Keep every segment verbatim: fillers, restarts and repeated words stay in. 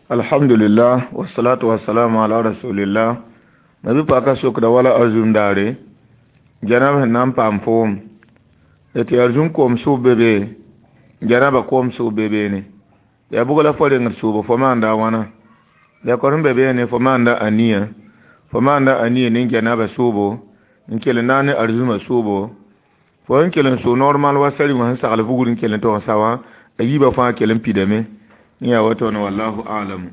Alhamdulillah, wassalatu wassalamu ala rasulillah. Mabi paka sokda wala arzum daare janaba sẽn na n paam foom tɩ arzum koom sʋʋb be be janaba koom sʋʋb be beene yaa bʋg la fo rengd sʋʋbo fo maanda a wãna la kor sẽn be beene fo maanda aniya fo maanda aniya ne janaba sʋʋbo n kell n na ne arzumã sʋʋbo fo sẽn kell n sʋʋ normal wa sari wã sẽn sagl vugr n kell n tog n sa wã a yiibã fãa kell n pidame n yaa woto ne wallahu alam.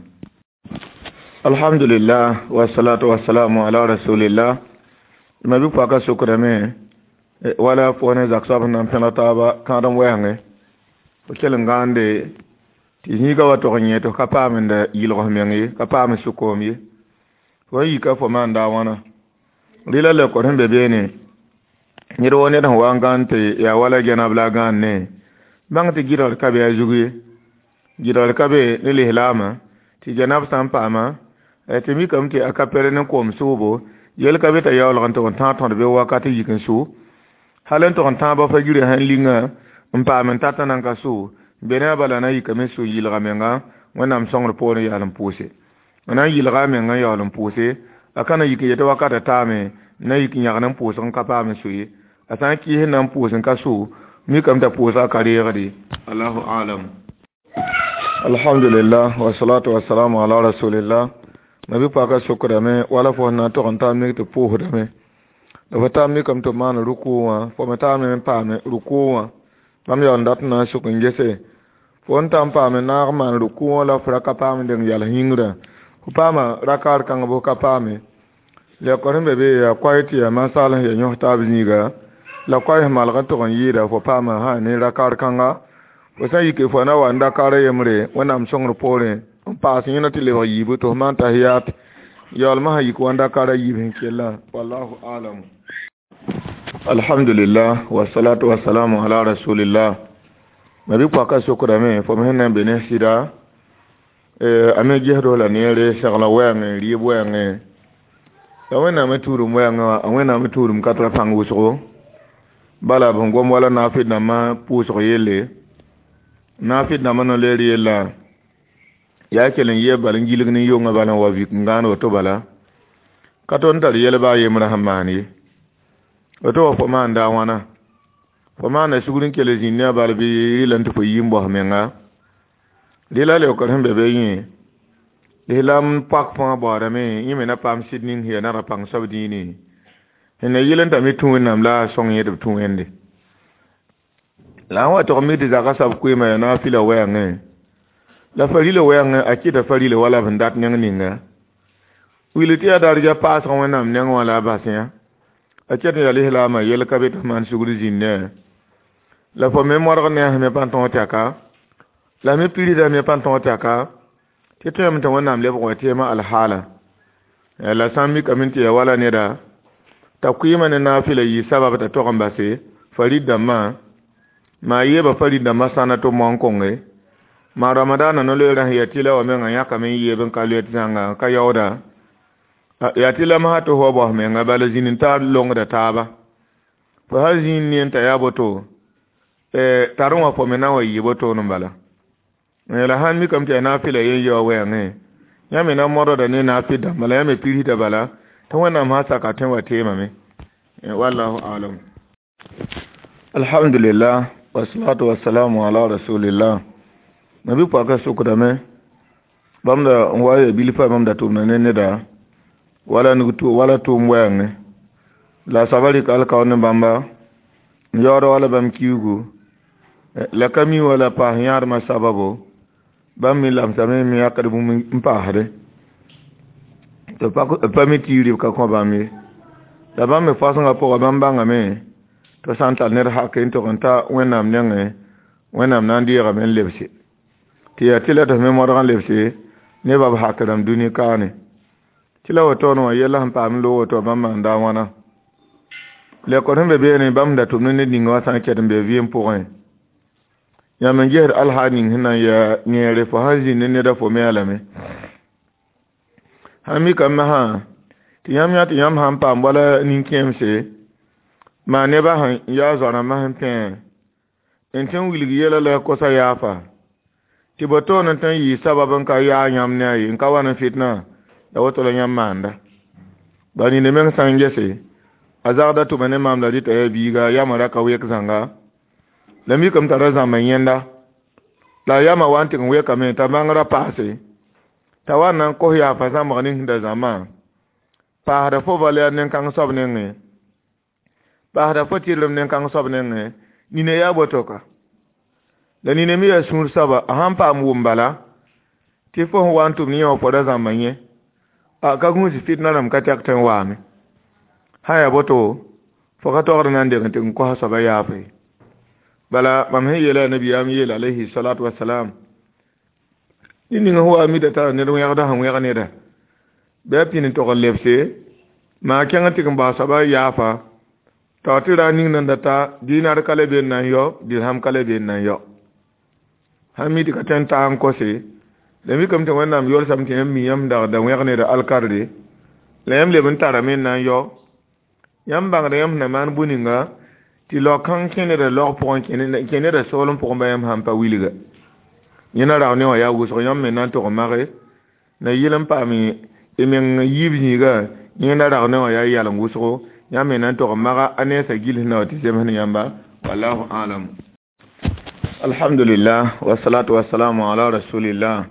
Alhamdulillah, wassalatu wassalamu ala rasulillah. Ma bi paka sokdame wala fo ne zak soab sẽn na n pẽneg taaba kãadem wɛɛngẽ fo kell n gãande tɩ zĩiga wa tog n yẽ tɩ f ka paamenda yɩlg f meng ye ka paam sʋkoom ye fo n yika fo maanda a wãna rɩla lekor sẽn be beene ned woo ned sẽn wa n gãnd tɩ yaa wala gɛnab la a gãand ne bãng tɩ gɩdgr ka be a zug ye gɩdgr ka be ne lislaamã tɩ gɛnab sã n paama tɩ mikame tɩ a ka pere ne koom sʋʋbo yel ka be t'a yaoolg n tʋg n tãag tõd be wakat yik n sʋ hal n tʋg n tãabã fa girã sẽn linga n paam n tata nan ka sʋ be ne a bala na yikame n sʋ yɩlga menga wẽnnaam sõngr poorẽ yaal n pʋʋse n na n yɩlga a menga n yaool n pʋʋse a ka na yik n yetɩ wakata taame na yik n yãgd n pʋʋsg n ka paam n sʋ ye a sã n kɩɩs n na n pʋʋs n ka sʋ mikame t'a pʋʋsga ka reegde allahu alam. Alhamdulillah, wassalatu wassalamu ala rasulillah. Mabi paka sokdame wala fo na tog n taa mik tɩ pʋʋsdame la fo taa mikame tɩ maan ruku wã fo me taame n paame ruku wã bãmb yaool n dat n na n sʋk n gese fo n ta n paame naag maan ruku wã la f ra ka paam deng yals yĩngrã fo paama rakaar kãng bʋ ka paame lekor sẽn be be yaa koay tɩ yaa mansaal sẽn yaa yõs taab zĩiga la koay sẽn malg n tʋg n yɩɩda fo paama sã ne rakaar kãnga fo sã n yike fo na wa n dakaar yembre wẽnnaam sõngr poorẽ n paas yẽna tɩ lebg yiibu tɩ f maan tahiyat yaoolmã sã yik wa n dakaar a yiib sẽn kellã wallahu alam. Alhamdulillah, wassalatu wassalamu ala rasulillah. Mabi paka sokdame fo me sẽn na n be ne sɩda a me gesd la neere segla wɛɛngẽ rɩɩb wɛɛngẽ la wẽnnaam tuudum wɛɛngẽ wã a wẽnnaam tuudum ka tara pãng wʋsgo bala b sẽn gom wala naafɩd dãmbã pʋʋsg yelle naafɩd dãmbã no-leer yella yaa kell n yee bal n gilg ne yongã bala n wa vik n gãan woto bala ka tõnd tar yɛl baa yembrã sẽn maan ye woto wa fo maanda a wãna fo maanda sugr n kell zĩnd ne a bal bɩ rɩla tɩ fo yi n bos menga rɩla leokr sẽn be be yẽ lislaam pak fãa baoodame yẽ me na paam sɩd ning sẽn yaa nara pãng soab dĩine sẽn na yɩl n tame tũ wẽnnaam la a sõng yẽ tɩ b tũ wẽnde la n wa tog mi tɩ zaka soab koeemã yaa naafɩla wɛɛngẽ la farila wɛɛngẽ a kɩta farila wala b sẽn dat neng ninga wil tɩ yaa darja paasg wẽnnaam neng wã la a bas yã a ket n yaa lislaamã yel ka be tɩ f maan sugr zĩnd ne la fo me modg ne a sẽn me pa tõog tɛka la me pirsda me pa tõog tɛka tɩ tõeme tɩ wẽnnaam lebg wa tɩɩmã alhaala la sã n mikame tɩ yaa wala neda t'a kʋɩɩmã ne naafɩla yɩ sabab t'a tog n base farid dãmbã maa yeeba farid dãmbã sãna tɩ moan konge maa ramadaana no-loeerã sẽn yaa tɩla wã menga yãkame n yeeb n ka loet zãnga ka yaooda yaa tɩ la masã tɩ fo baos menga bala zĩnd n tar longda taaba fo sã zĩnd ne n t'a yaa boto tar wã fo me na n wa yɩ botoon n bala la sãn mikame tɩ yaa naafɩla yen yaoa wɛɛngẽ yã me na modda ne naafɩd dãmba la yã me pirsda bala tɩ wẽnnaam sã saka tõe wa teemame wallahu alam. Alhamdulillah, wassalatu wassalamu ala rasulillah. Mabi paka sokdame bãmb da n wa ya bilfa bãmb da tʋmda ne neda wala nug wala tʋʋm wɛɛngẽ la soaba rɩk alkaoor ne bãmba n yaood wala bãmb kiugu la ka mi wala paas yãadmã sababo bãmb me lamsame me yãkd bũmb n paasde tɩ pa mi tɩ rɩb ka kõ bãmb ye la bãmb me fasẽngã pʋgã bãmb bãngame tɩ sã n tar ned hak n tʋg n ta wẽnnaam nengẽ wẽnnaam na n deegame n lebse tɩ yaa tɩ la tɩ f me modg n lebse ne bab hak rãmb dũni kaane tɩ la wotoon wã yɛla sẽn paam loog woto bãmb maanda a wãna lekor sẽn be beene bãmb da tʋmd ned ninga wã sã n ket n be vɩɩm pʋgẽ yãmb n gesd alhaal ning sẽn na n yaa yẽere fo sãn zĩnd ne neda fo me a lame sãn mikame masã tɩ yãmb yã tɩ yãmb sãn paam wala nin-kẽemse maa nebã sẽn yaa zoa rãmbã sẽn pẽ n tɩ n wilg yɛla la kosa yaafa tɩ Tɩ bo toon n tõe n yɩɩ sabab n ka yaa yãmb ne a ye n ka wa ne fitna la woto la yãmb maanda ba nina meng sã n gese a zagda tʋma ne maam la rɩta yaa biiga yamã ra ka wek zãnga la mikame t'a ra zãmba yẽnda la yamã wa n tɩg n wekame t'a bãngrã paase t'a wa n na n kos yaafa zãmbg ning sẽn da zãmbã paasda fo valɛɛr nen-kãng soab nengẽ paasda fo tɩrlem nen-kãng soab nengẽ nina yaa boto ka la nina me yaa sũur soaba a sãn paam wʋm bala tɩ fo sẽn wa n tʋm ne yẽ wã fo ra zãmba yẽ a ka gũus fitna rãmb ka tɛk tɩ n waame sã yaa boto fo ka togd na n deng tɩ n kosa soaba yaafe bala mam sẽn yeela nabiyaam yeel alayhi salatu wasalam ned ning sẽn wa mida tara ned wẽgda sẽn wẽg neda bɩ a pĩnd n tog n lebse maa kẽng tɩg n bas soaba yaafa t'a tɩ ra ning nan da ta dinar ka le be n na n yao dirham ka le be n na n yao sãn mi tɩ ka tõe n taa n kose la mikame tɩ wẽnnaam yolsame tɩ yãmb mi yãmb dag da wẽg neda alkarde la yãmb leb n tarame n na n yao yãmb bãngda yãmb sẽn na maan bũ-ninga tɩ lao-kãng kẽ neda laog pʋgẽ kẽ neda soolem pʋgẽ ba yãmb sãn pa wilga yẽ na rao ne wã yaa wʋsg yãmb me na n tog n mage na yɩl n paam y meng yiib zĩiga yẽ na rao ne wã yaa yaleng wʋsgo yãmb me na n tog n maga a nensã gils na wa tɩ zems ne yãmba wallahu alam alhamdulillah wasalatu wasalamu ala rasulillah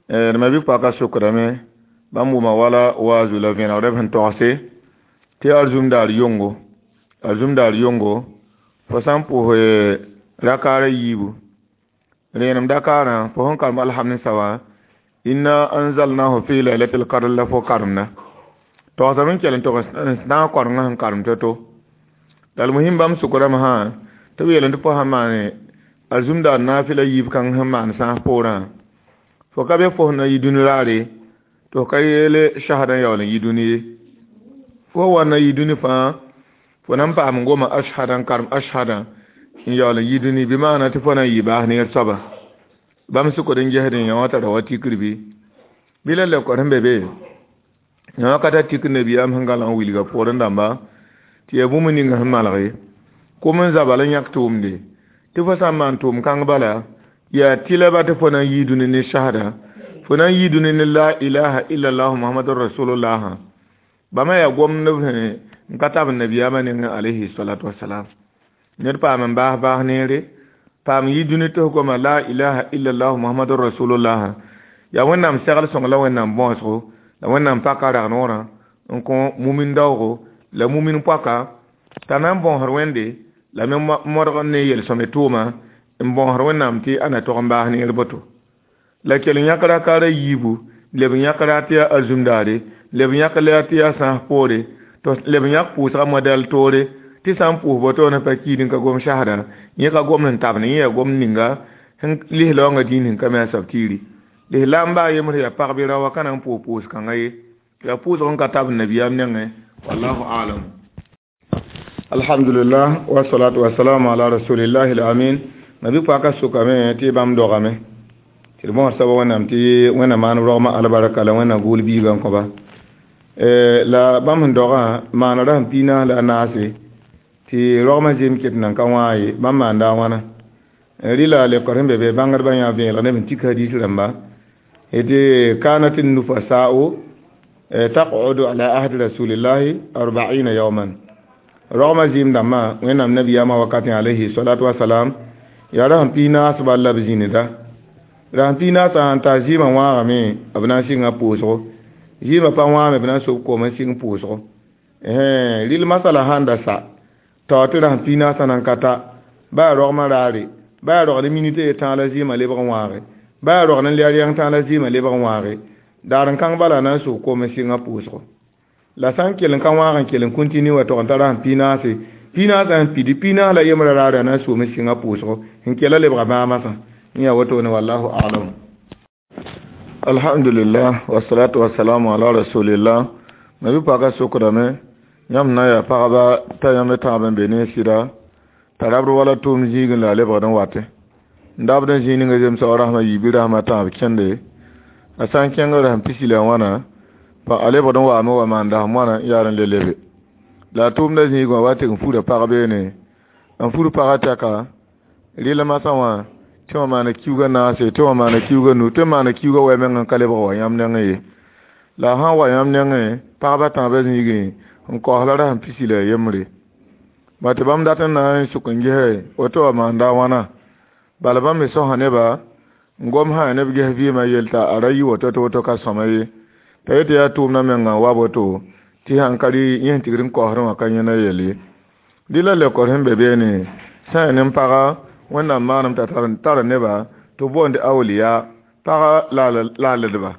d ma bi-poaka sʋkdame bãmb wʋma wala waazu la vẽenegda b sẽn togse tɩ arzũm daar yongo arzũm daar yongo fo sã n pʋʋs rakaara yiibu rẽenem dakaarã fo sẽn karem alhamd wã inna anzalnahu fi laylatil qadr la fo karemda togsame n kell n tog n naag korengã sẽn karem to-to la almuhim bãmb sʋkrame sã tɩ b yeel tɩ fo sãn maane arzũm daar naafɩla yiib kãng sẽn maan sãas poorã fo ka be fo sẽn na yi dũni raare tɩ f ka yeele shahada n yaool n yi dũni ye fo wa na yi dũni fãa fo na n paam n goma ashhada n karem ashhada n yaool n yi dũni bɩ maana tɩ fo na n yɩ baas neer soaba bãmb sʋkd n gesd n yã wã tara wa tikr bɩ bɩ la lekor sẽn be be yã wã ka tar tikr nabiyaam sẽn gãlg n wilga pʋgr dãmba tɩ yaa bũmb ning sẽn malge kom n zabal n yãk tʋʋmde tɩ fo sã n maan tʋʋm kãng bala yaa tɩla ba tɩ fo na n yii dũni ne shahada fo na n yii dũni ne la ilaha illallah muhammadur rasulullah bãmba yaa gomdb sẽn n ka tab nabiyaamã nengẽ alayhi salatu wasalam ned paam n baas baas neere paam yi dũni tɩ f goma la ilaha illallah muhammadur rasulullah yaa wẽnnaam segl sõng la wẽnnaam bõosgo la wẽnnaam paka rag-noorã n kõ mumin daoogo la mumin poaka t'a na n bõosd wẽnde la me modg ne yel-sõme tʋʋma n bõosd wẽnnaam tɩ a na tog n baas neer boto la kell yãk rakaara yiibu leb yãk ra tɩ yaa arzũm daare leb yãk la tɩ yaa sãas poore tɩ leb yãk pʋʋsga modɛl toore tɩ sã n pʋʋs botoone pa kiid n ka gom shahada yẽ ka gomd n tabne yẽ yaa gomd ninga sẽn lislaoongã dĩin sẽn ka me a soab tiiri lislaam baa yembr yaa pagb ra wa ka na n pʋʋs pʋʋs kãngã ye yaa pʋʋsg n ka tab nabiyaam nengẽ wallahu alam alhamdulillah wasalatu wasalamu ala rasulillahi alamin nabi poaka sʋkame tɩ bãmb dogame tɩ d bõos soaba wẽnnaam tɩ wẽnnaam maan rogmã albarka la wẽnnaam gʋʋl biigã n kõba la bãmb sẽn dogã maanra sẽn pii naas la a naase tɩ rogmã zem ket nan ka wãa ye bãmb maanda a wãna rɩla lekor sẽn be be bãngdbã yã vẽelg neb n tik hadis rãmba tɩ kanat nufasa'u taq'udu ala ahdi rasulillahi arbaina yawman rogmã zɩɩm dãmbã wẽnnaam nabiyaamã wakatẽ alayhi salatu wasalam yaa ra sẽn pii naas bal la b zĩnida ra sẽn pii naasã sãn ta zɩɩmã wãagame b na n sɩnga pʋʋsgo zɩɩmã pa wãame b na n sob koom n sɩng pʋʋsgo rɩl masala sãn da sa tao tɩ ra sẽn pii naasã nan ka ta ba yaa rogmã raare ba yaa rog ne minit ye tãag la zɩɩmã lebg n wãage ba yaa rog ne lɛɛr yãng tãag la zɩɩmã lebg n wãage daar n kãng bala na n sʋg koom n sɩnga pʋʋsgo la sã n kell n ka wãag n kell n kũntini wa tog n tara sẽn pii naase pii naasã sẽn pidi pii naas la yembrã raare a na n soom n sɩnga pʋʋsgo sẽn kella lebga bãamasã n yaa wotone wallahu alam alhamdulillah wasalatu wasalamu ala rasulillah ma bi paka sʋkdame yãmb na yaa pagba t'a yãmb tãab n be ne sɩda t'a rabd wala tʋʋm zĩigẽ la a lebgd n watẽ n dabd n zĩig ninga zemsg rasmã yiibi rasmã tãab kẽnde a sã n kẽng rasem pisi la wãna pa a lebgd n waame wa maan dasem wãna n yaar n le lebe la a tʋʋmda zĩig wã wa tɩg n fura pag beene n fur pagã tɛka rɩl masã wã Tɩ wã maana kiuugã naase, tɩ wã maana kiuugã nu, tɩ maana kiuugã wɛ meng n ka lebg wa yãmb nengẽ ye. La a sã n wa yãmb nengẽ, pagba tãabã zĩigẽ n kaoos la rasem pisi la a yembre. Ba tɩ bãmb dat n na n sʋk n gese woto wa maanda a wãna. Bala bãmb me sosa neba n gom sã neb ges vɩɩmã yell t'a a ra yɩ woto tɩ woto ka sõma ye. T'a yetɩ yaa tʋʋmdã menga n wa woto tɩ sãn ka rɩ yẽ sẽn tigr n kaoosdẽ wã ka yẽna yell ye. Dɩ la lekor sẽn be beene sã n yaa nin-paga Wẽnnaam maanem t'a tara neba tɩ b boond awliya paga laaledba.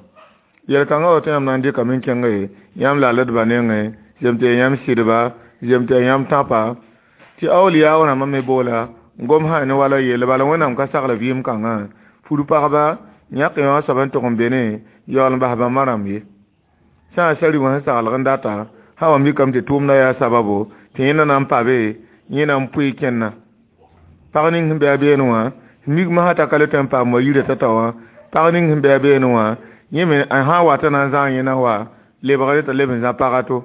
Yel-kãngã woto yãmb na n dɩkame n kẽnge yãmb laaledba nengẽ, zem tɩ yaa yãmb sɩdba, zem tɩ yaa yãmb tãpa, tɩ awliya rãmbã me boola n gom sã ne wala yelle bala Wẽnnaam ka sagl vɩɩm kãngã fur pagba yãk yõ a soab n tʋg n be ne yaool n bas bãmba rãmb ye. Sã n sari wã sẽn saglg n data sã wa mikame tɩ tʋʋmdã yaa sababo tɩ yẽnda na n pa be yẽ na n pʋɩ kẽnna. Pag ning sẽn be a beene wã mik masã t'a ka le tõe n paam wa yirã t'a ta wã pag ning sẽn be a beene wã yẽ me sã n wat n na n zãag yẽna wa lebgre t'a leb n zã paga to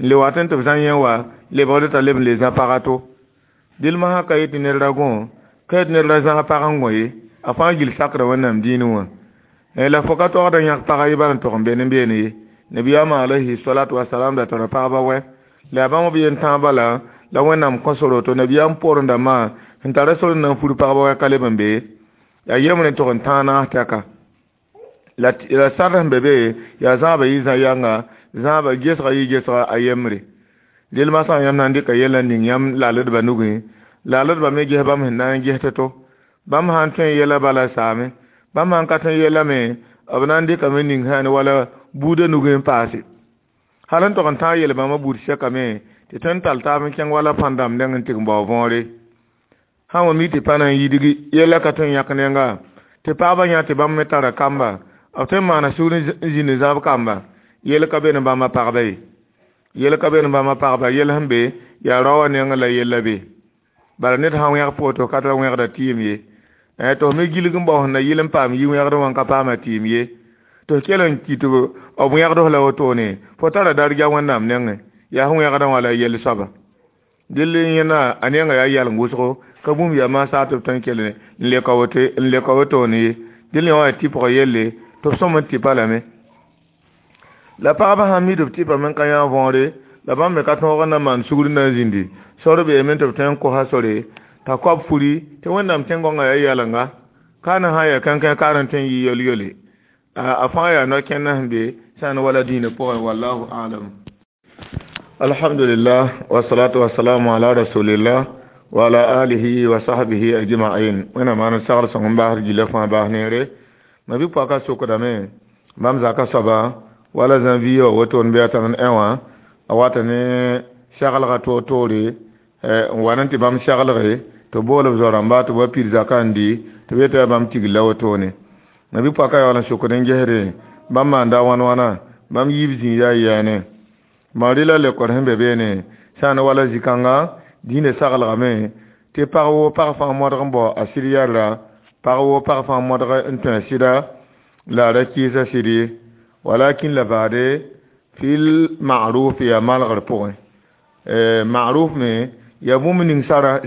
n le wat n tɩ b zã yẽ wa lebgre t'a leb n le zã paga to. Dɩl masã ka yet tɩ ned ra gõ ka yet ned ra zãg pag n gõ ye a fãa gill sakda Wẽnnaam dĩinẽ wã. La fo ka toagd n yãk paga ye bala n tog n be ne beene ye. Nabiyaamã alayhi salatu wasalam da tara pagba wɛ la yaa bãmb b yen tãag bala la Wẽnnaam kõ sor woto nabiyaam poorẽ dãmbã sẽn tara sor n na n fur pagba wɛ ka leb n be yaa yembre n tog n tãag naas tɛka. La la sar sẽn be be yaa zãabã yɩ zã yãnga zãaba gesga yɩ gesga a yembre. Del masã yãmb na n dɩka yɛla n ning yãmb laaledbã nugẽ laaledbã me ges bãmb sẽn na n ges to bãmb sã n tõe n yɛla bala saame bãmb sã n ka tõe n yɛla me b na n dɩkame ning sã ne wala buudã nugẽ n paase. Hal n tog n tãag yel bãmba buud sɛkame tɩ tõe n tall taab n kẽng wala pãn-dãmb neng n tɩg n bao võore. Sã n wa mi tɩ pa na n yidgi yɛla ka tõe n yãk nenga tɩ pagba yã tɩ bãmb me tara kamba b tõe n maana sugr n zĩnd zãb kamba yel ka be ne bãmba pagba ye. Yel ka be ne bãmba pagba yel sẽn be yaa rao wã nengẽ la yella be. Bala ned sã n wẽg pʋgẽ tɩ ka tara wẽgda tɩɩm ye. Tɩ f me gilg n bao sẽn na yɩl n paam yi wẽgdẽ wã n ka paama tɩɩm ye. Tɩ f kell n kɩ tɩ b wẽgd f la wotone fo tara darja Wẽnnaam nengẽ yaa sẽn wẽgdã wã la yell soaba. Dɩl yẽna a nenga yaa yaleng wʋsgo ka bũmb yaa maasa tɩ b tõe n kell n leka woto n leka wotone ye. Dɩl yẽ wã yaa tɩpg yelle tɩ b sõm n tɩpa lame. La pagba sã n mi tɩ b tɩpame n ka yã võore la bãmb me ka tõog n na n maan sugr na n zĩndi sor beeme tɩ b tõe n kosa sore t'a koab furi tɩ Wẽnnaam tẽn-gõngã yaa yalenga kaan sã n yaa kãnkã kaan n tõe n yɩ yol-yole a fãa yaa no-kẽndã sẽn be sã n wala dĩinã pʋgẽ wallahu alam. Alhamdulillah wasalatu wasalamu ala rasulillah wa ala alihi wa sahbihi ajma'in. Wẽnnaam maan sagl sõng n baasd gilla fãa baas neere. Ma bɩ pʋaka sokdame bãmb zaka soaba wala zã-vi wa woto n be a tãn n ẽ wã a wata ne seglga toor-toore n wa n tɩ bãmb seglge tɩ bool b zo-rãmba tɩ b wa pid zakã n dɩ tɩ b yeta yaa bãmb tigl la wotone. Ma bɩ pʋaka yaool n sokd n gesde bãmb maanda wãn wãna bãmb yiib zĩig yaa yɛɛne. Bõe rɩ la lekor sẽn be beene sã n wala zĩ-kãnga dĩinã saglgame tɩ pag woo pag fãa modg n bao a sɩd yɛrra pag woo pag fãa modg n tõe a sɩda la a ra kɩɩsa sɩd ye walakin la baade fil ma'ruf yaa malgr pʋgẽ. Ma'ruf me yaa bũmb ning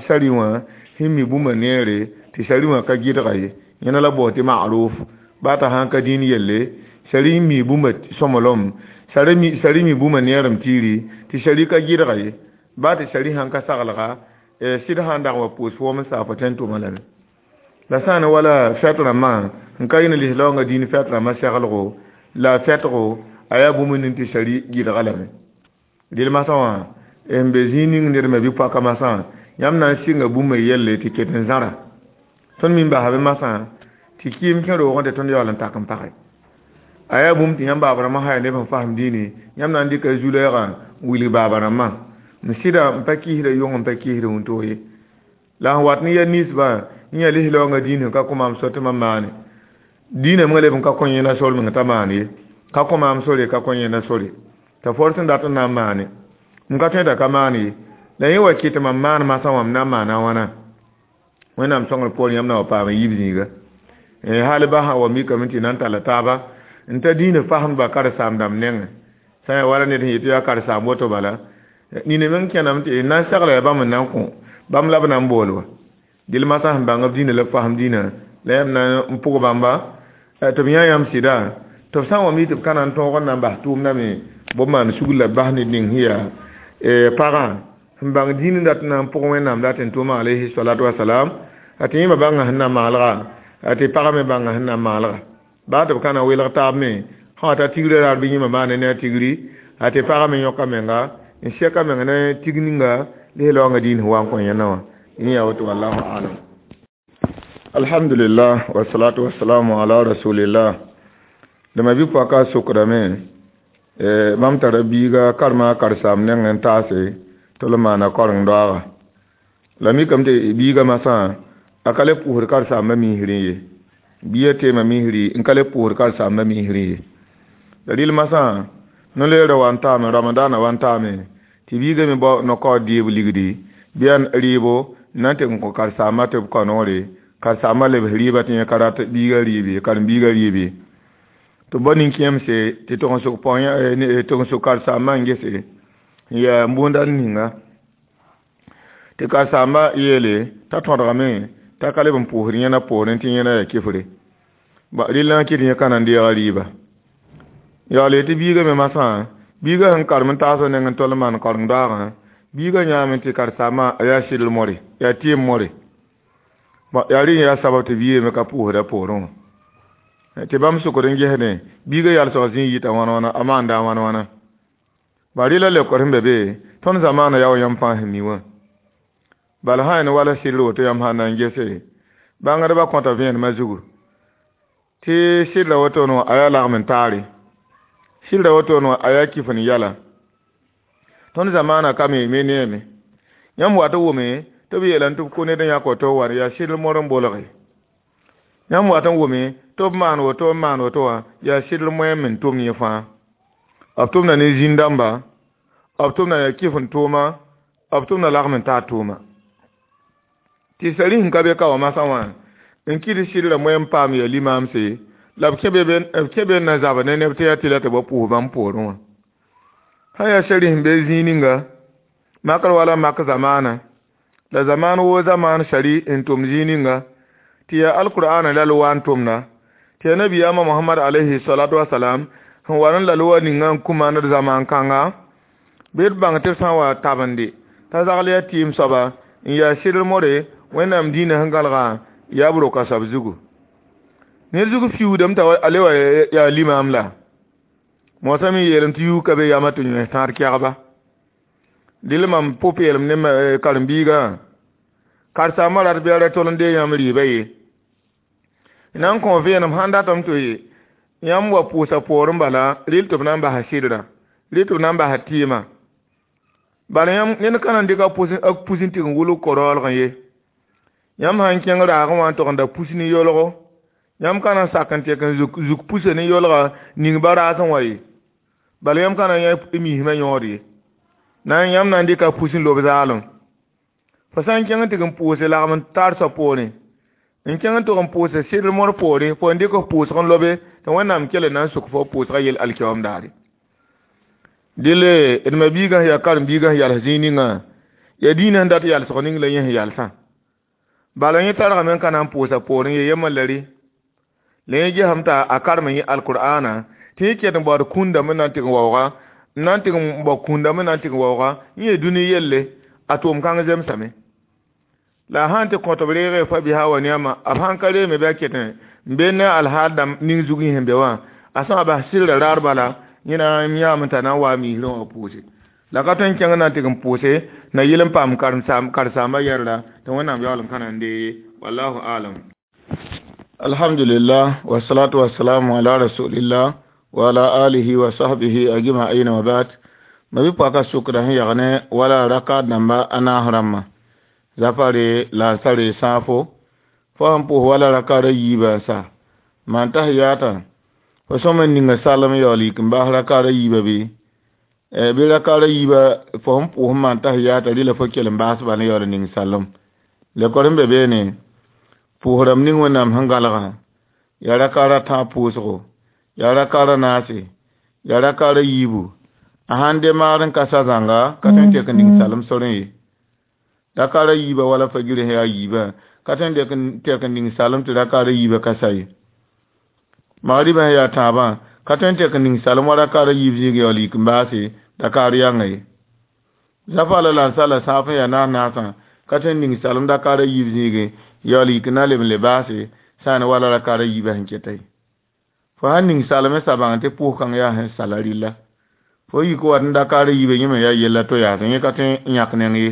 sari wã sẽn mi bũmba neere tɩ sari wã ka gɩdga ye yẽna la bao tɩ ma'ruf baa t'a sã n ka dĩin yelle sari n mi bũmba sõmblem sari mi bũmba neerem tiiri tɩ sari ka gɩdga ye baa tɩ sari sãn ka saglga sɩd sã n dag wa pʋʋs foom n saa fo tõe n tʋma lame. La sã n wala fɛt rãmbã n ka yɩ ne lislaoongã dĩin fɛt rãmbã seglgo la fɛtgo a yaa bũmb ning tɩ sari gɩdga lame. Dɩl masã wã n be zĩig ning ned me bɩ pʋaka masã yãmb na n sɩnga bũmba yelle tɩ ket n zãra. Tõnd mi n basame masã tɩ kɩɩm kẽ roogẽ tɩ tõnd yaool n tak n page. A yaa bũmb tɩ yãmb baaba rãmbã sã yaa neb sẽn fasem dĩinẽ yãmb na n dɩka zu-lɛɛgã n wilg baaba rãmbã n sɩda n pa kɩɩsda yʋng n pa kɩɩsda wũntoog ye. La sẽn wat ne ya ninsbã n yaa lislaoongã dĩin sẽn ka kõ maam sor tɩ mam maane dĩinã mengã leb n ka kõ yẽna sor meng t'a maan ye ka kõ maam sore ka kõ yẽna sore t'a for sẽn dat n na n maane m ka tõe t'a ka maan ye la yẽ wa kɩ tɩ mam maan masã wã m na n maana wãna Wẽnnaam sõngr poorẽ yãmb na wa paam n yiib zĩiga. Hal ba sã wa mikame tɩ na n talla taaba n ta dĩinã fasẽmdbã karen-saam-dãmb nengẽ sã n yaa wala ned sẽn yet tɩ yaa karen-saam woto bala nina meng kẽname tɩ n na n segla yaa bãmb n na n kõ bãmb la b na n bool wa. Dɩl masã sẽn bãng b dĩinã la b fasem dĩinã la yãmb na n pʋg bãmba tɩ b yã yãmb sɩda tɩ b sã n wa mi tɩ b ka na n tõog n na n bas tʋʋmdã me bõe maan sugr la b bas ned ning sẽn yaa pagã sẽn bãng dĩin n dat n na n pʋg wẽnnaam dat n tʋma alayhi salatu wasalam a tɩ yẽma bãnga sẽn na maalga a tɩ pagã me bãnga sẽn na maalga baa tɩ b ka na welg taab me sã wa ta tigrã raar bɩ yẽma maana ne a tigri a tɩ pagã me yõka menga n sɛka menga ne tig ninga lesla wãnga dĩin sẽn wa n kõ yẽnda wã yẽ yaa woto wallahu alam. Alhamdulillah wasalatu wasalamu ala rasulillah. Dama bɩ pɔka sokdame bãmb tara biiga karema karsaam neng n taase tɩ l maana koreng doaaga la mikame tɩ biiga masã a ka le pʋʋsd karsaambã misrẽ ye bia teema misri n ka le pʋʋsd karsaambã misrẽ ye la rɩl masã no-leerã wa n taame ramadaana wa n taame tɩ biiga me bao no-kaood deeb ligdi bɩ yaa rɩɩbo n na n tɩ n kõ karsaambã tɩ b kao noore karsaambã lebs rɩɩbã tɩ yẽ ka rat biiga rɩɩb ye karen-biiga rɩɩb ye tɩ bao nin-kẽemse tɩ tog n sʋk tɩg n sʋk karsaambã n gese n yaa n bũunda ninga tɩ karsaambã yeele t'a tõdgame t'a ka leb n pʋʋsd yẽna poorẽ tɩ yẽna yaa kifre rɩl na n kɩt yẽ ka na n deega rɩɩba yaool tɩ biiga me masã biiga sẽn karem n taas neng n tol n maan koreng doaagã biiga yãame tɩ karsaambã a yaa sɩdl more yaa tɩɩm more yaa rẽ yaa sabab tɩ biiga me ka pʋʋsda poorẽ wã tɩ bãmb sʋkd n gesdẽ biiga yalsg zĩig yita wãna wãna a maanda wãna wãna ba rɩla leokd sẽn be be tõnd zamaana yaa wa yãmb fãa sẽn mi wã bala sã yaa wala sɩdr woto yãmb sã na n gese bãngdbã kõta vẽenemã zugu tɩ sɩdra woto no a yaa lagem n taare sɩdra woto no a yaa kif n yɛla tõnd zamaana ka me me neeme yãmb wat n wʋme tɩ b yeelame tɩ b kʋ ned n yãk woto wa yaa sɩdr mor n bolge yãmb wat n wʋme tɩ b maan woto n maan woto wã yaa sɩdr moɛɛm n tʋm yẽ fãa b tʋmda ne zĩn-dãmba b tʋmda yaa kif n tʋʋma b tʋmda lagem n taar tʋʋma tɩ sari sẽn ka be ka wã masã wã n kɩt sɩdra moɛɛm paam yaa limaamse la b kẽ be n na zab ne neb tɩ yaa tɩ la tɩ ba pʋʋs bãmb poorẽ wã sã yaa sari sẽn be zĩig ninga makr wala mak zamaana la zamaan woo zamaan sari n tʋm zĩig ninga tɩ yaa alkur'aana la l wa n tʋmda tɩ yaa nabiyaamã mohamad alayhi salatu wasalam sẽn wa n la l wa ninga n kũ maand zamaan kãnga bɩ d bãng tɩ b sã n wa tabende t'a zagl yaa tɩɩm soaba n yaa sɩdr more wẽnnaam dĩinã sẽn gãlgã yaa b roka soab zugu ned zug fiuudame t'a a le wa yaa limaam la moosã me yeelame tɩ yuug ka be yama tɩ yões tãad kɛgba dɩl mam pʋ-peelem ne karen-biigã karsaambã rat bɩ a ra tol n dee yãmb rɩɩbã ye na n kõ vẽenem sãn datame tɩ yãmb wa pʋʋsa poorẽ bala rɩl tɩ b na n basa sɩdrã rɩl tɩ b na n basa tɩɩmã bala yãmb ned ka na n dɩk a pus n tɩg n wʋlg ko-raoolgẽ ye yãmb sã n kẽng raagẽ wã n tog n da pus ne yolgo yãmb ka na n sak n tek n zuk pusa ne yolga ning ba raasẽ wã ye bala yãmb ka na n yã mismã yõod ye na n yãmb na n dɩka pus n lob zaalem fo sã n kẽng n tɩg n pʋʋse lagem n taar soab poorẽ n kẽng n tʋg n pʋʋse sɩdr mor poorẽ fo n dɩk f pʋʋsg n lobe tɩ wẽnnaam kell na n sʋk fo pʋʋsgã yel alkiyaoom daare dɩle d ma biigã sẽn yaa karen-biigã sẽn yals zĩig ninga yaa dĩinã sẽn dat yalsg ning la yẽ sẽn yalsã bala yẽ targame n ka na n pʋʋsa poorẽ ye yemã la rɩ la yẽ gesame t'a a karem n yẽ alkur'aana tɩ yẽ ket n baood kũndame n na n tɩg n waooga n na n tɩg n bao kũndame n na n tɩg n waooga n yee dũni yelle a tʋʋm kãng zemsame la a sã n tɩ kõ tɩ b reege fa bisa wa neama b sãn ka reeme bɩ a ket n be ne alhaal dãmb ning zug yẽ sẽn be wã a sã n bas sɩdra raar bala yẽ na n yãame t'a na n wa a misrẽ wã pʋʋse la ka tõe n kẽng na n tɩg n pʋʋse na yɩl n paam karsaambã yɛrda tɩ wẽnnaam yaool n ka na n dee ye wallahu alam. Alhamdulillah wasalatu wasalamu ala rasulillah wa ala alihi wa sahbihi ajma'in wa ba'd. Ma bɩ paka sʋkda sẽn yag ne wala raka dãmba a naas rãmbã zafare lansare sãafo fo sẽn pʋʋs wala rakaada yiibã n sa maan tahiyata fo sõm n ninga salem yaool yik n bas rakaada yiibã bɩ bɩ rakaada yiibã fo sẽn pʋʋs n maan tahiyata rɩla fo kell n baas bala yaool n ning salem lekor sẽn be beene pʋʋsrãmb ning wẽnnaam sẽn gãlgã yaa rakaada tãab pʋʋsgo yaa rakaada naase yaa rakaada yiibu a sãn de maar n ka sa zãnga ka tõe n tek n ning salem sorẽ ye rakaada yiibã wala fagirẽ sẽn yaa yiibã Ka tõe n tek n ning salem tɩ rakaada yiibã ka sa ye. Magriba sẽn yaa tãabã ka tõe n tek n ning salem wa rakaada yiib zĩig yaool yik n baase dakaar yãnga ye. Zafa la lansar la sãaf n yaa naas naasã ka tõe n ning salem dakaara yiib zĩigẽ yaool yik n na leb n le baase sã n wala rakaada yiibã sẽn keta ye. Fo sãn ning salem sa bãng tɩ pʋʋs-kãng yaa sẽn sala rɩlla. Fo yik wat n dakaara yiibã yẽ me yaa yella to yaasẽ yẽ ka tõe n yãk neng ye.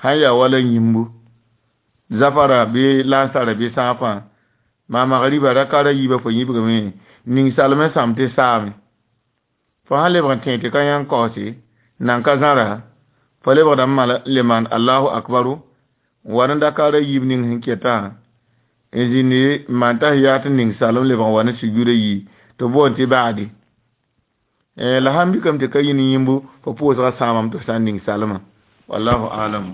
Sãn yaa wala yĩmbu zafara bɩ lansara bɩ sãafã maa magriba rakaara yiibã fo yĩbgame ning salem sãm tɩ saame. Fo sãn lebg n tẽ tɩ ka yãng kaoose nan ka zãra fo lebgdame le maan Allahu akbaru n wa ne dakaara yiib ning sẽn ketã n zĩndi n maan tahiyat n ning salem lebg n wa ne sujuuda yi tɩ b boond tɩ baadi. La sãn mikame tɩ ka yĩn yĩmbu fo pʋʋsgã sãamame tɩ f sã n ning salmã. Wallahu alam.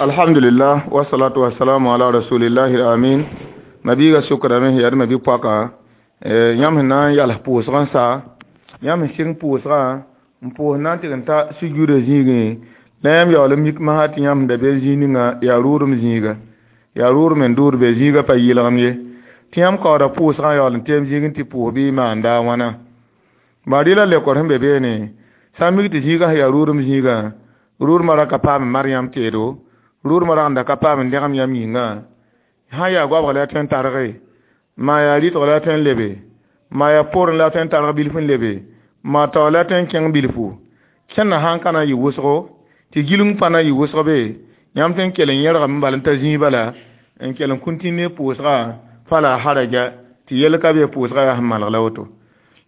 Alhamdulillah wasalatu wasalamu ala rasulillahi amin. Mabiiga sʋkdame sẽn yaa d mabi-poaka yãmb sẽn na n yals pʋʋsg n sa yãmb sẽn sɩng pʋʋsgã n pʋʋs na n tɩg n ta sujuudã zĩigẽ la yãmb yaool n mik masã tɩ yãmb sẽn da be zĩig ninga yaa rʋʋdem zĩiga yaa rʋʋdem n dʋʋd be zĩigã pa yɩlgem ye tɩ yãmb kaooda pʋʋsgã yaool n teem zĩigẽ tɩ pʋʋs bɩ maanda a wãna. Baa rɩla lekor sẽn be beene sã n mik tɩ zĩigã sẽn yaa rʋʋdem zĩigã rʋʋdmã ra ka paam n mar yãmb teedo rʋʋdmã rag n da ka paam n dẽgem yãmb yĩngã sãn yaa goabg la a tõe n targe maa yaa rɩtg la a tõe n lebe maa yaa poorẽ la a tõe n targ bilf n lebe maa taoor la a tõe n kẽng bilfu kẽnna sãn ka na n yɩ wʋsgo tɩ gilg pa na n yɩ wʋsg be yãmb tõe n kell n yẽrgame bala n ta zĩig bala n kell n kũntĩnd pʋʋsga fala haraja tɩ yell ka be pʋʋsga yaa sẽn malg la woto.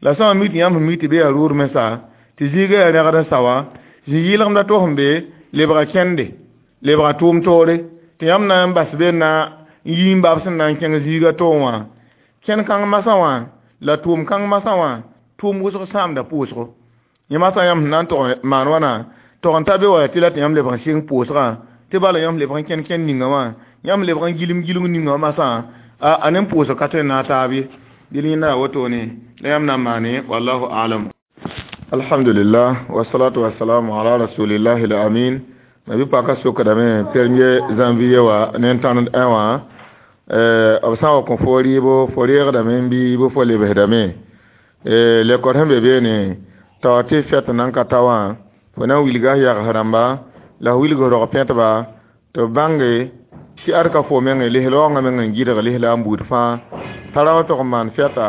La sã n mik tɩ yãmb sẽn mik tɩ be yaa rʋʋdme sa tɩ zĩigã yaa rẽgd n sa wã zĩ-yɩlgemda to sẽn be lebga kẽnde lebga tʋʋm toore tɩ yãmb na n bas be na n yi n bab sẽn na n kẽng zĩigã toog wã kẽn kãng masã wã la tʋʋm kãng masã wã tʋʋm wʋsg sãamda pʋʋsgo. Yẽ masã yãmb sẽn na n tog maan wãna tog n ta be wa tɩ la tɩ yãmb lebg n sɩng pʋʋsgã tɩ bala yãmb lebg n kẽn kẽnd ninga wã yãmb lebg n gilem gilg ninga wã masã a ne pʋʋsg ka tõe n naag taab ye. Dɩl yẽnda yaa wotone la yãmb na n maane wallahu alam. Alhamdulillah wasalatu wasalamu ala rasulillahi al-amin. Mabi-paka sokdame premier janvier wã ne n tãnd ẽ wã b sã n wa kõ fo rɩɩbo fo reegdame n bɩ fo lebsdame lekor sẽn be beene tao tɩ fɛt nan ka ta wã fo na n wilga f yags rãmba la f wilg rog pẽtba tɩ b bãnge tɩ ad ka fo menge lislaoongã meng n gɩdg lislaam buud fãa t'a ra wa tog n maan fɛta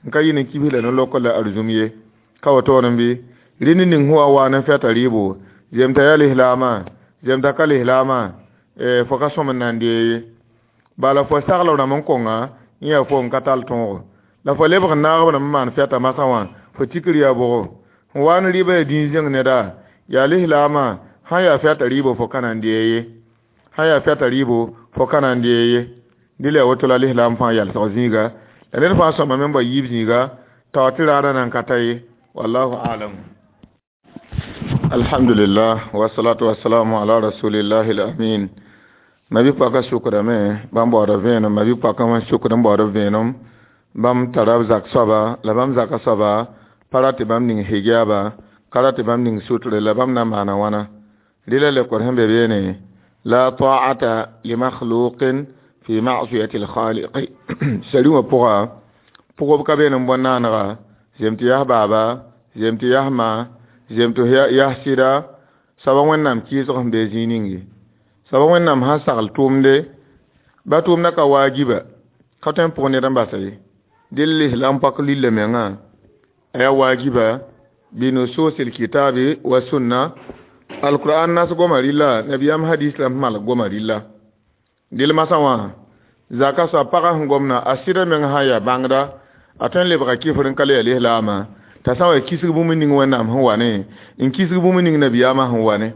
n ka yɩ ne kibs la no-lokr la arzũm ye ka wotoor n bɩ rẽnd ning sẽn wa wa ne fɛta rɩɩbo zemta yaa lislaamã zemta ka lislaamã fo ka sõm n na n dee ye bala fo sagl rãmb n konga yẽ yaa fo n ka tall tõogo la fo lebg n naag b rãmb n maan fɛta masã wã fo tikr yaa bʋgo n wa ne rɩɩbã yaa dĩin zẽng neda yaa lislaamã sãn yaa fɛta rɩɩbo fo ka na n dee ye sãn yaa fɛta rɩɩbo fo ka na n dee ye dɩ la yaa woto la lislaam fãa yalsg zĩiga la ned fãa sõmame n bao yiib zĩiga tao tɩ raadã nan ka ta ye wallahu alam. Alhamdulillah wasalatu wasalamu ala rasulillahi al-amin. Mabi-poaka sʋkdame bãmb baooda vẽenem mabi-poakã wã sʋkd n baood vẽenem bãmb tara b zak soaba la bãmb zaka soaba pa rat tɩ bãmb ning hijaaba ka rat tɩ bãmb ning sutre la bãmb na n maana wãna rɩla lekor sẽn be beene la ta'ata limakhluqin fi ma'siyati al-khaliqi sari wã pʋga pʋgb ka beene n bõ naanega zem tɩ yaa baaba zem tɩ yaa ma zem tɩ yaa sɩda soaba wẽnnaam kɩɩsg sẽn be zĩig ning ye soaba wẽnnaam sãn sagl tʋʋmde ba tʋʋmdã ka waajiba ka tõe n pʋg ned n basa ye dɩl lislaam pak lilla mengã a yaa waajiba binusus alkitabi wa sunna alquran nas goma rɩlla nabiyaam hadis la malg goma rɩlla dɩl masã wã zaka soab pagã sẽn gomna a sɩda meng sã n yaa bãngda a tõe n lebga kɩfr n ka le yaa lislaamã t'a sã n wa kisg bũmb ning wẽnnaam sẽn wa ne n kisg bũmb ning nabiyaamã sẽn wa ne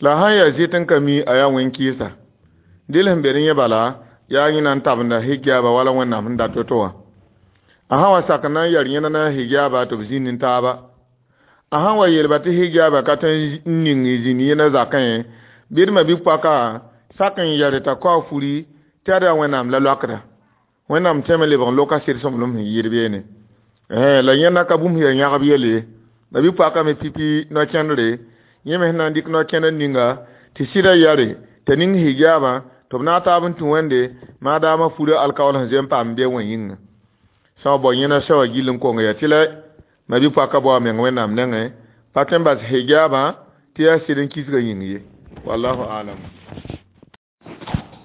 la sãn yaa zɩt n ka mi a yaa wẽn-kɩɩsa dɩl sẽn be ne yẽ bala yaa yẽ na n tabenda hijaaba wala wẽnnaam sẽn dat to wã a sã wa sak n na n yɛr yẽna na hijaaba tɩ b zĩnd n taaba a sãn wa yeelba tɩ hijaaba ka tõe n ning zĩnd yẽna zakẽ bɩ d ma-bi-poaka sak n yɛr t'a kao furi tɩ ad yaa wẽnnaam la loakda wẽnnaam tẽme lebg n loka sɩd sõmblem sẽn yɩɩd beene la yẽnda ka bũmb yaa yãgb yelle ye ma-bi-poaka me pipi no-kẽndre yẽ me sẽn na n dɩk no-kẽndr ninga tɩ sɩda yɛre t'a ning hijaabã Tɩ b na n taab n tũ wẽnde maadaamã furã alkaool sẽn zoe n paam be wã yĩnga sã n bao yẽna sã wã gill n kong yaa tɩ la ma bi-poakã bao a meng wẽnnaam nengẽ pa tõe n bas hijaabã tɩ yaa sɩd n kisgã yĩng ye wallahu alam.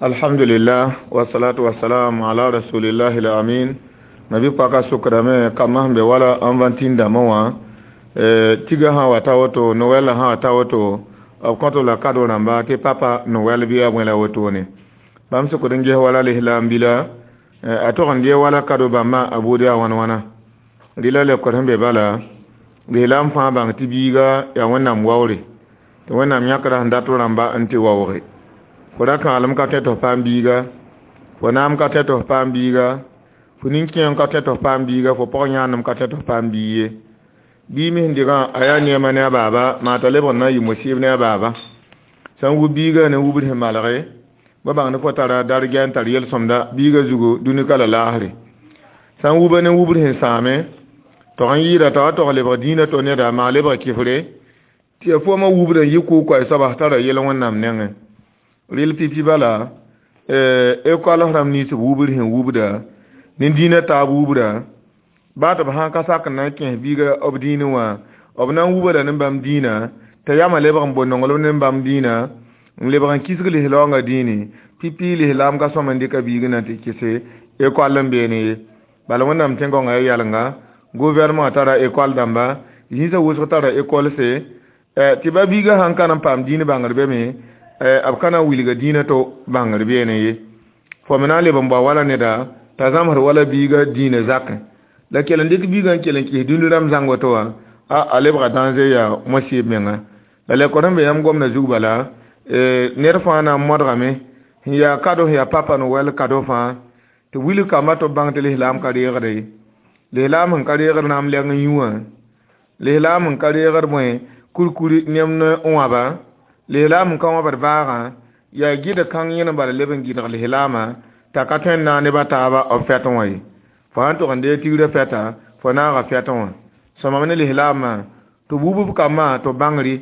Alhamdulillah wasalatu wasalam ala rasulillahi al-amin. Ma bi-poakã sʋkdame kambã sẽn be wala n vãntĩn dãmbã wã tiga sã wa ta woto noɛl sã wa ta woto b kõt la kado rãmba tɩ papa noɛl bɩ a bõe la wotone bãmb sʋkd n ges wala lislaam bila a tog n dee wala kado bãmbã a buud yaa wãn wãna rɩla lekor sẽn be bala lislaam fãa bãng tɩ biiga yaa wẽnnaam waoore tɩ wẽnnaam yãkra sẽn dat rãmba n tɩ waooge fo ra kãalem ka tõe tɩ f paam biiga fo naam ka tõe tɩ f paam biiga fo nin-kẽem ka tõe tɩ f paam biiga fo pɔg yãanem ka tõe tɩ f paam biig ye bii me sẽn dɩgã a yaa neema ne a baaba maa t'a lebg n na n yɩ mosɩɩb ne a baaba sã n wub biigã ne wubd sẽn malge ba bãngd fo tara dargɛ n tar yel-sõmda biigã zugu dũni-ka la laasre sã n wuba ne wubd sẽn sãame tog n yɩɩda t'a wa tog lebg dĩinã to neda maa lebg kɩfre tɩ ya foomã wubd n yɩ kʋʋ-koɛɛ soaba tara yel wẽnnaam nengẽ rɩl pipi bala ekɔl rãmb nins b wubd sẽn wubda ne dĩinã taab wubda baa tɩ b sãn ka sak n na n kẽes biiga b dĩinẽ wã b na n wuba la ne bãmb dĩinã t'a yamã lebg n bo nonglem ne bãmb dĩinã n lebg n kisg lislaoongã dĩini pipi lislaam ka sõm n dɩka biig na tɩ kɩse ekɔl n beene ye bala wẽnnaam tẽn-gõngã ya yalnga gouvernement tara ekɔl dãmba zĩisã wʋsg tara ekolse tɩ ba biigã sãn ka na n paam dĩin bãngr be me b ka na n wilga dĩinã to bãngr beene ye fo me na n leb n bao wala neda t'a zãmsd wala biigã dĩinã zakẽ la kell n dɩk biigã n kell n kɩs dũni rãmb zãng woto wã a a lebga dãnze yaa mosɩɩb menga la lekor sẽn be yãmb gomdã zug bala ned fãa na n modgame sẽn yaa kado sẽn yaa papa Noël kado fãa tɩ wilg kamba tɩ b bãng tɩ lislaam ka reegde ye lislaam sẽn ka reegd naam lɛng n yũ wã lislaam sẽn ka reegd bõe kurkuri nemd n wãba lislaam sẽn ka wãbd baagã yaa gɩd kãng yẽn n bala leb n gɩdg lislaamã t'a ka tõe n naag neb a taaba b fɛtẽ wã ye fo sãn tʋg n dee tigrã fɛta fo naaga fɛtẽ wã sõmame ne lislaamã tɩ b wub b kambã tɩ b bãngri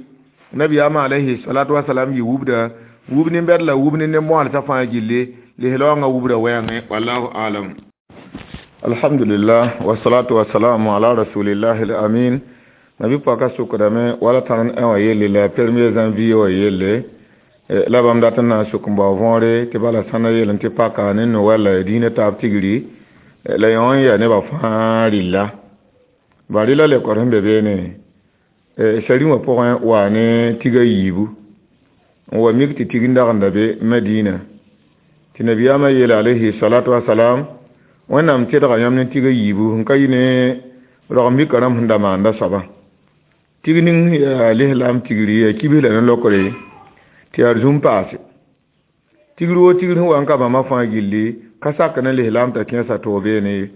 nabiyaamã alayhi salatu wasalam yɩ wubda wub nin-bɛd la wub ne nin-bõalsã fãa gilli lislaoongã wubda wɛɛngẽ wallahu alam. Alhamdulillah wasalatu wasalamu ala rasulillahi al-amin. Nabi paka sʋkdame wala tãn n wã yelle la premier janvier wã yelle la bãmb dat n na n sʋk n bao võore tɩ bala sãna yel n tɩ paka ne Noɛl la dĩinã taab tigri la yõ n yaa nebã fãa rɩlla ba rɩla lekor sẽn be beene sari wã pʋgẽ waa ne tiga yiibu n wa mik tɩ tig n dag n da be Madina tɩ nabiyaamã yeela alayhi salatu wasalam wẽnnaam tẽdga yãmb ne tiga yiibu sẽn ka yɩ ne rog mika rãmb sẽn da maanda soabã tig ning yaa lislaam tigri yaa kibs la ne lokre tɩ yaa zũm paase tigr woo tigr sẽn wa n ka bãmba fãa gilli ka sak ne lislaam t'a kẽesa toog beene ye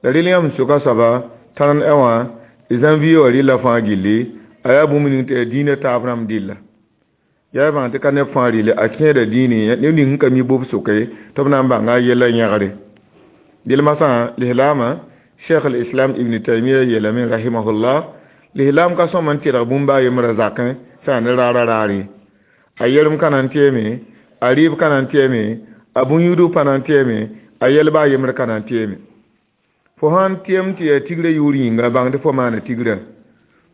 la rɩl yãmb sʋka soaba tãn ɛ wã janvier wã rɩlla fãa gilli a yaa bũmb ning tɩ yaa dĩinã taab rãmb dɩlla yaa bãng tɩ ka neb fãa rɩle a kẽeda dĩinẽ neb ning sẽn ka mi bʋb sʋke tɩ b na n bãnga a yella yẽgre dɩl masã lislaamã cheikh al-islam ibn taymia yeelame rahimahullah lislaam ka sõm n tɩrg bũmb a yembrã zakẽ sã ne raara raare a yerem ka na n tɩame a rɩɩb ka na n tɩame a bũn-yudg pa na n tɩame a yɛlba a yembr ka na n tɩame fo sãn tɩem tɩ yaa tigrã yʋʋr yĩnga bãng tɩ fo maana tigrã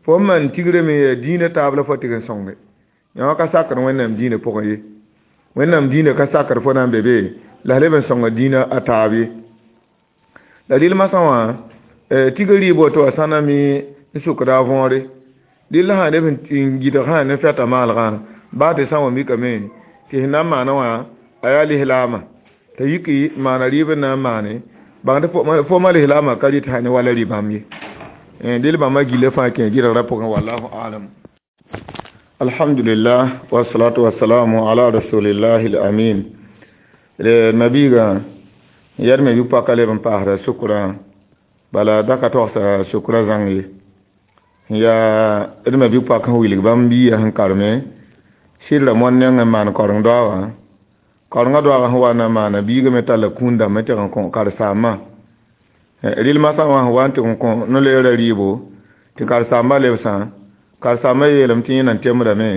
fo n maan tigrã me yaa dĩinã taab la fo tɩg n sõnge yã ka sakd wẽnnaam dĩinã pʋgẽ ye wẽnnaam dĩinã ka sakd fo na n be be la leb n sõnga dĩinã a taab ye la rɩl masã wã tiga rɩɩb woto wã sãna me n sʋkda a võore rɩl sã neb n gɩdg sã ne fɛta maalgã baa tɩ sã n wa mikame tɩ sẽn na n maana wã a yaa lislaamã t'a yiki maana rɩɩb n na n maane bãng tɩ fo ma lislaamã ka rɩt sã ne wala rɩ bãmb ye dɩl bãmba gilla fãa kẽ gɩdgrã pʋgẽ wallahu alam. Alhamdulillah wasalatu wasalamu ala rasulillahi al-amin. Nabiga yɛd me bɩ-poaka leb n paasda sʋkrã bala da ka togsa sʋkrã zãng ye yaa d me bɩ-poak sẽn wilg bãmb biigã sẽn karme sɩdra moan neng n maan koreng doaagã korengã doaagã sẽn wa na n maana biigã me talla kũun dãmbã tɩg n kõ karen-saambã rɩl masã wã sẽn wa n tɩg n kõ no-leerã rɩɩbo tɩ karen-saambã lebsã karen-saambã yeelame tɩ yẽ na n temdame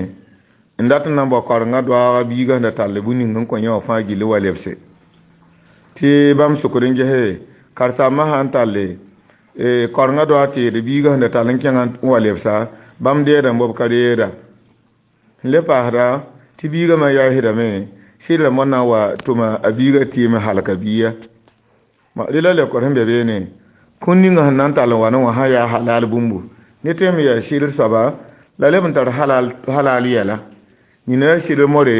N dat n na n bao karenga doaaga biiga sẽn da tall bũmb ning n kõ yẽ wã fãa gill wa lebse. Tɩ bãmb sokd n gese karen-saambã sã n talle karenga doaag teed biiga sẽn da tall n kẽngã n wa lebsa, bãmb deeda n b ka reeda. Sẽn le paasda tɩ biigã me yaasdame sɩd rãmbã na n wa tʋma a biiga tɩɩm n halka biiga. Rela leokd sẽn be beene kũn ninga sẽn na n tall n wa ne wã sã yaa halal bũmbu ne tõe n yaa sɩdr soaba la leb n tar halal halal yɛla. Nina yaa sɩdr more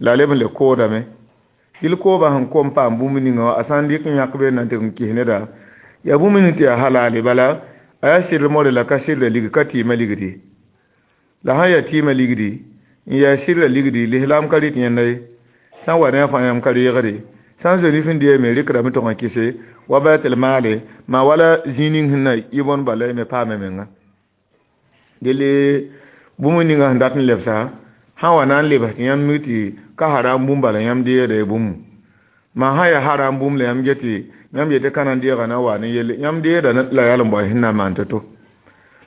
la leb n le koodame. Dɩl kooba sẽn kom paam bũmb ninga wã a sã n dɩk n yãk be n na n tɩ n kis neda yaa bũmb ning tɩ yaa halale bala a yaa sɩdr more la ka sɩdra ligd ka tɩɩmã ligdi. La sã n yaa tɩɩmã ligdi n yaa sɩdra ligdi lislaam ka rɩt yẽnda ye. Sã n wa ne a fãa yãmb ka reegde. Sã n zoe nif n deeme rɩkdame tʋg n kɩse wa baitul maale maa wala zĩig ning sẽn na yɩ bõn bala y me paame menga. Dele bũmb ninga sẽn dat n lebsa sã n wa na n lebs tɩ yãmb mi tɩ ka haram bũmb bala yãmb deegda y bũmb. Maa sã n yaa haram bũmb la yãmb get tɩ yãmb yetɩ ka na n deega na wa ne yelle yãmb deegda la yaa n bao sẽn na n maan to-to.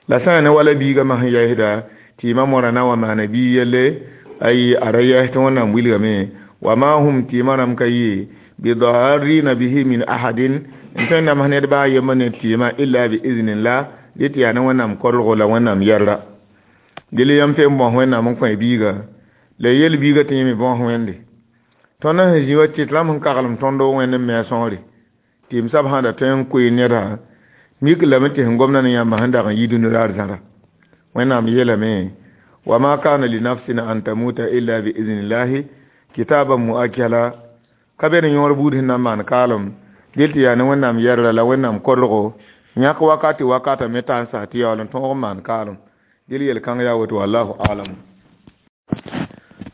La sã n yaa ne wala biigã masã yaasda tɩ yɩma moarã na n wa maana biig yelle ayi a ra yaas tɩ Wẽnnaam wilgame wa ma hum tɩɩmã rãmb ka yɩ bidarrina bihi min ahadin n tõe n nams ned baa yembr ne tɩɩmã illa bi iznillah dɩ tɩ yaa ne Wẽnnaam korgo la Wẽnnaam yɛrra. Dɩl yãmb tõe n bõs Wẽnnaam n kõ biiga la yel biiga tɩ yẽ me bõs Wẽnde. Tõnd sẽn zĩ wa tɩ rãmb sẽn kaglem tõndo Wẽnd n me sõore tɩ m sab sã da tõe n koe nedã mik lame tɩ sẽn gomda ne yãmbã sẽn dag n yi dũni raar zãra. Wẽnnaam yeelame wa ma kana li nafsin an tamuta illa bi iznillahi kitaban muakkala ka be ne yõor buud sẽn na n maan kaalem dɩl tɩ yaa ne Wẽnnaam yɛrra la Wẽnnaam korgo yãk wakati wakata me t'a n sa tɩ yaool n tõog n maan kaalem. Dɩl yel-kãng yaa woto wallahu alam.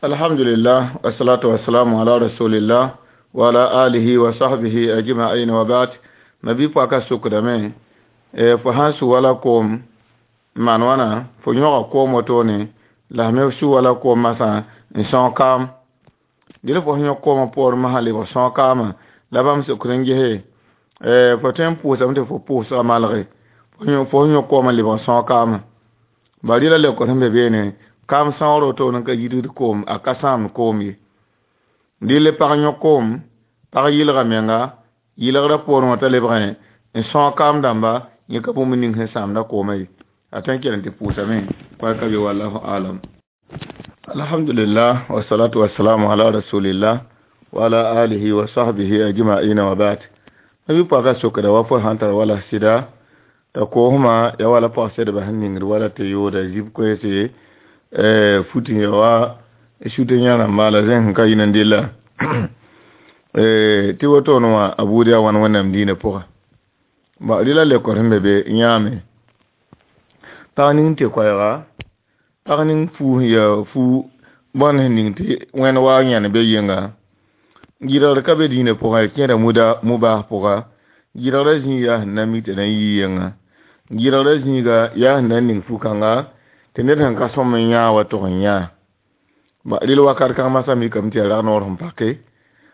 Alhamdulillah wassalatu wassalamu ala rasulillah wa ala alihi wa sahbihi ajma'in wa ba'd. Mabi pɔka sokdame fo sãn su wala koom maan wãna fo yõga koom wotone la me su wala koom masã n sõog kaam. Dɩl fo sẽn yõk koomã poorẽ masã lebg sõog kaamã la bãmb sokd n gese fo tõe n pʋʋsame tɩ fo pʋʋsga malge fo sẽn yõk koomã lebg sõog kaamã. Ba rɩla leokd sẽn be beene kaam sõogr wotone n ka yidgd koom a ka sãamd koom ye. Dɩl pag yõk koom pag yɩlga menga yɩlgrã poorẽ wã t'a lebgẽ n sõog kaam dãmba yẽ ka bũmb ning sẽn sãamda koomã ye. A tõe n kell n tɩ pʋʋsame koa ka be wallahu alam. Alhamdulillah wassalatu wassalamu ala rasulillah wa ala alihi wa sahbihi ajma'in wa ba'd. Nabi pɔka sokda wa fo sãn tar wala sɩda t'a koosmã ya wala pɔg-sedbã sẽn ningd wala tɩ yooda zib koeese fut ya wa sut yã rãmba la zẽn sẽn ka yĩn n della tɩ wotone wã a buud yaa wãn Wẽnnaam diinã pʋga. Rɩla leokd sẽn be be yãame pag ning tɩ koɛɛga pag ning fuu sẽn yaa fuu bõn sẽn ning tɩ Wẽnd waoog yãnd be yɩnga gɩdgr ka be diinã pʋgã ya kẽeda mubas pʋga gɩdgrã zĩig yaa sẽn na n mik tɩ na n yii yẽnga gɩdgrã zĩiga yaa sẽn na n ning fu-kãnga tɩ ned sẽn ka sõm n yãa wa tʋg n yãa. Rɩl wakat kãng masã mikame tɩ yaa rag noor sẽn pake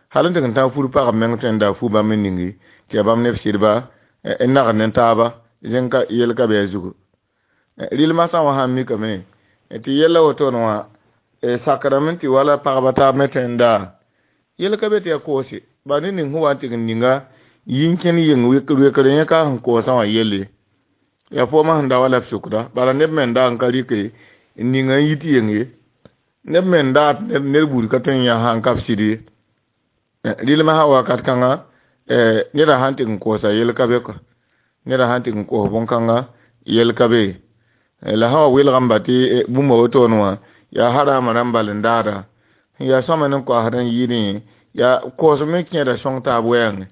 hal n tɩ n tãag fur pagb meng tõe n daa fu bãmb n ningi tɩ yaa bãmb neb sɩdba n nagd ne taaba zẽng ka yel ka be a zugu. Rɩl masã wã sãn mikame tɩ yella wotone wã sakrame tɩ wala pagba taab me tõe n daa yel ka be tɩ yaa koose ba ne ning sẽn wa n tɩg n ninga yɩ n kẽnd yeng wekr yẽ ka sẽn koosã wã yelle yaa foomã sẽn da wa la b sokda bala neb me n dag n ka rɩke n ninga n yit yeng ye neb me n daa ned buud ka tõe n yã sã n ka b sɩd ye. Rɩlmã sã wakat kãnga neda sãn tɩg n koosa yel ka be kɔ neda sãn tɩg n koos bõn-kãnga yel ka be la sã wa welgame tɩ bũmba wotone wã yaa harama rãmb bal n daada yaa sõma ne koasd n yɩɩdẽ yaa koosem me kẽeda sõng taab wɛɛngẽ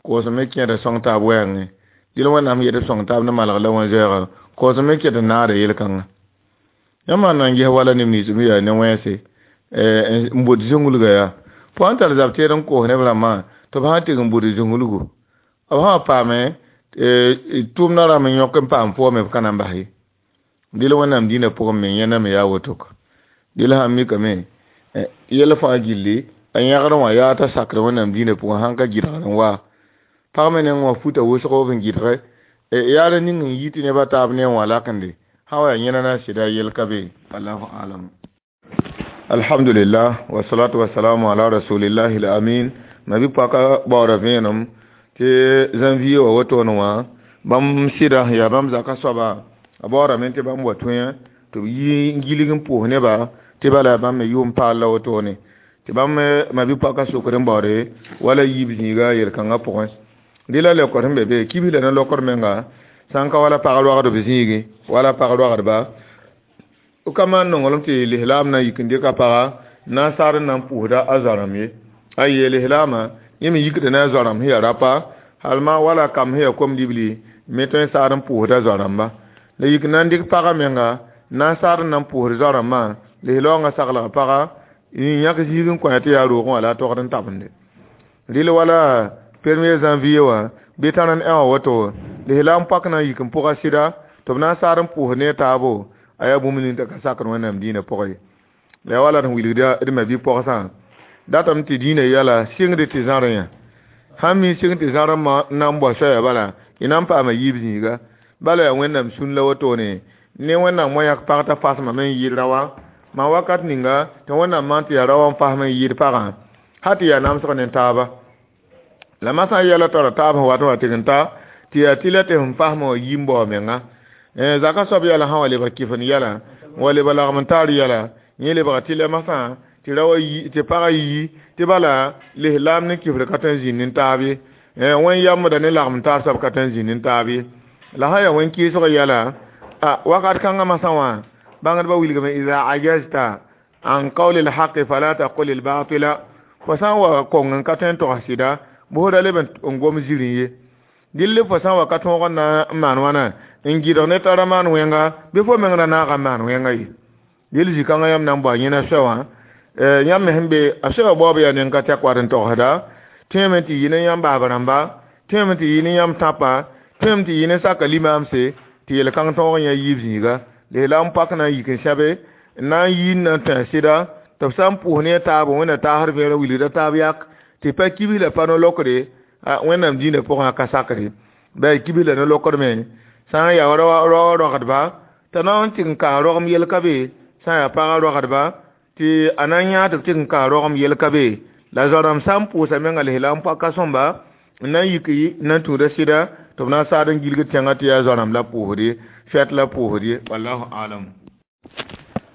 koosem me kẽeda sõng taab wɛɛngẽ dɩl Wẽnnaam yet b sõng taab ne malg la wẽn-zoɛɛga koosem me ket n naada yel-kãnga. Yãmb sãn na n ges wala neb nins me yaa ne wẽnse n bot zũnglgã yaa fo sãn tar zab teed n koos neb rãmbã tɩ b sã n tɩg n bʋd zũnglgu b sã wa paame tʋʋmdã rãmb n yõk n paam foome b ka na n bas ye. Dɩl Wẽnnaam diinã pʋgẽ me yẽnda me yaa woto ka. Dɩl sãn mikame yɛl fãa gilli a yãgr wã yaa t'a sakr Wẽnnaam diinã pʋgẽ sãn ka gɩdgr n waa pag me neng wã futa wʋsgo b n gɩdge yaa ra ning n yi tɩ nebã taab ne wã lakende sã wa yaa yẽna na sɩda yel ka be wallahu alam. Alhamdulillah wassalatu wassalamu ala rasulillahi al-amin. Mabi paka baoora vẽenem tɩ janvier wã wotone wã bãmb sɩda yaa bãmb zaka soaba a baoorame tɩ bãmb wa tõe tɩ b yi n gilg n pʋʋs neba tɩ bala bãmb me yʋʋm paal la wotone tɩ bãmb mabi paka sokd n baoode wala yiib zĩiga yel-kãngã pʋgẽ. Dɩ la leokd sẽn be be kibs la ne lokd menga sã n ka wala pag roagdb zĩigi wala pag roagdba ka maan nonglem tɩ lislaam na yik n dɩka paga na n saad n na n pʋʋsda a zoa-rãmb ye. A yee lislaamã yẽ me yikda ne a zoa-rãmb sẽn yaa rapa hal ma wala kam sẽn yaa kom-libli me tõe n saad n pʋʋsda zoa-rãmba. La yik na n dɩk pagã menga na n saad n na n pʋʋsd zoa-rãmbã lislaoongã saglg paga n yãk zĩig n kõ tɩ yaa roogẽ wã la a togd n tabende. Rɩl wala premier janvier wã bɩ tãr n ẽ wã woto lislaam pak na n yik n pʋga sɩda tɩ b na n saad n pʋʋs ne taabo a yaa bũmb ning t'a ka sakd Wẽnnaam dĩinã pʋgẽ ye. La yaa wala d sẽn wilgda d ma-bi-pogsã datame tɩ dĩinã yɛla sɩngd tɩ zãrẽ yã sãn mi sɩng tɩ zãrẽ na n bao soaya bala y na n paama yiib zĩiga bala yaa Wẽnnaam sũn la wotone ne Wẽnnaam wa yãk pag t'a fasmame n yɩɩd raoã maa wakat ninga tɩ Wẽnnaam maan tɩ yaa raoã n fasm n yɩɩd pagã ha tɩ yaa namsg ne taaba. La masã yɛla tara taab sẽn wat n wa tɩg n ta tɩ yaa tɩ la tɩ sẽn fasmã wã yi n bao menga. Zaka soab yɛla sã wa lebg kɩfend yɛla n wa lebg lagem n taar yɛla yẽ lebga tɩ la masã tɩ raoã yi tɩ pagã yi tɩ bala lislaam ne kifr ka tõe n zĩnd n taab ye. Wẽn yambda ne lagem n taar soab ka tõe n zĩnd n taab ye. La sã yaa wẽn kɩɩsg yɛla a wakat kãngã masã wã bãngdbã wilgame ida ajazta an qawli lhaqi fala taqul lbatila fo sã n wa kong n ka tõe n togs sɩda bʋsda leb n gom zirẽ ye. Dɩl fo sã n wa ka tõog n na n maan wãna n gɩdg ne t'a ra maan wẽnga bɩ fo meng ra naaga n maan wẽnga ye. Dɩl zĩ-kãngã yãmb na n bao yẽna soa wã yãmb me sẽn be a soa baoob yaa neng ka tɛk wat n togsda tõeme tɩ yɩ ne yãmb baab rãmba tõeme tɩ yɩ ne yãmb tãpa tõeme tɩ yɩ ne saka limaamse tɩ yel-kãng tõog n yã yiib zĩiga. Lislaam pak na n yik n sẽbe n na n yi n na n tẽ sɩda tɩ b sã n pʋʋs ne a taab Wẽnna taasd vẽerã wilgda taab yak tɩ pa kibs la pa no-lokre Wẽnnaam dĩinã pʋgẽ a ka sakre bɩ a kibs la no-lokd me sã n yaa raoã roagdba t'a na n tɩg n kaa rogem yel ka be sã n yaa pagã roagdba tɩ a na n yãa tɩ b tɩg n kaa rogem yel ka be. La zoa-rãmb sã n pʋʋsa menga lislaam pak ka sõmba n na n yik n na n tũuda sɩda tɩ b na n saad n gilgd tẽngã tɩ yaa zoa-rãmb la pʋʋsd ye fɛt la pʋʋsd ye. Wallahu alam.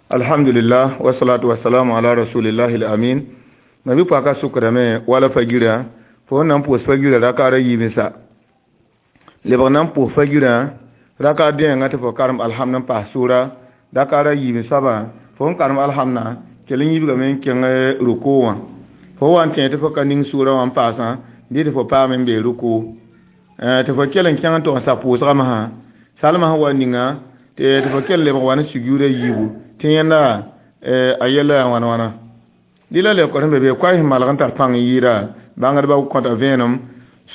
Alhamdulillah wassalatu wassalamu ala rasulillahi al-amin. Mabi paka sukdame wala fagira fo na n pʋʋs fagira rakaara yiibẽ sa lebg na n pʋʋs fagirã rakaar dẽengã tɩ fo karem alhamd n paas sʋʋra rakaara yiibẽ soabã fo n karem alhamdã kell n yibgame n kẽng ruku wã fo wa n tẽ tɩ fo ka ning sʋʋra wã n paasã dɩ tɩ fo paame n bee ruku tɩ fo kell n kẽng n tog n sa pʋʋsgã masã salmã sẽn wa ninga tɩ fo kell lebg wa ne sujuuda yiibu tɩ yẽnda a yɛla yaa wãna wãna. Dɩ la leokd sẽn be be koɛɛ sẽn malg n tar pãng n yɩɩda bãngdbã kõta vẽenem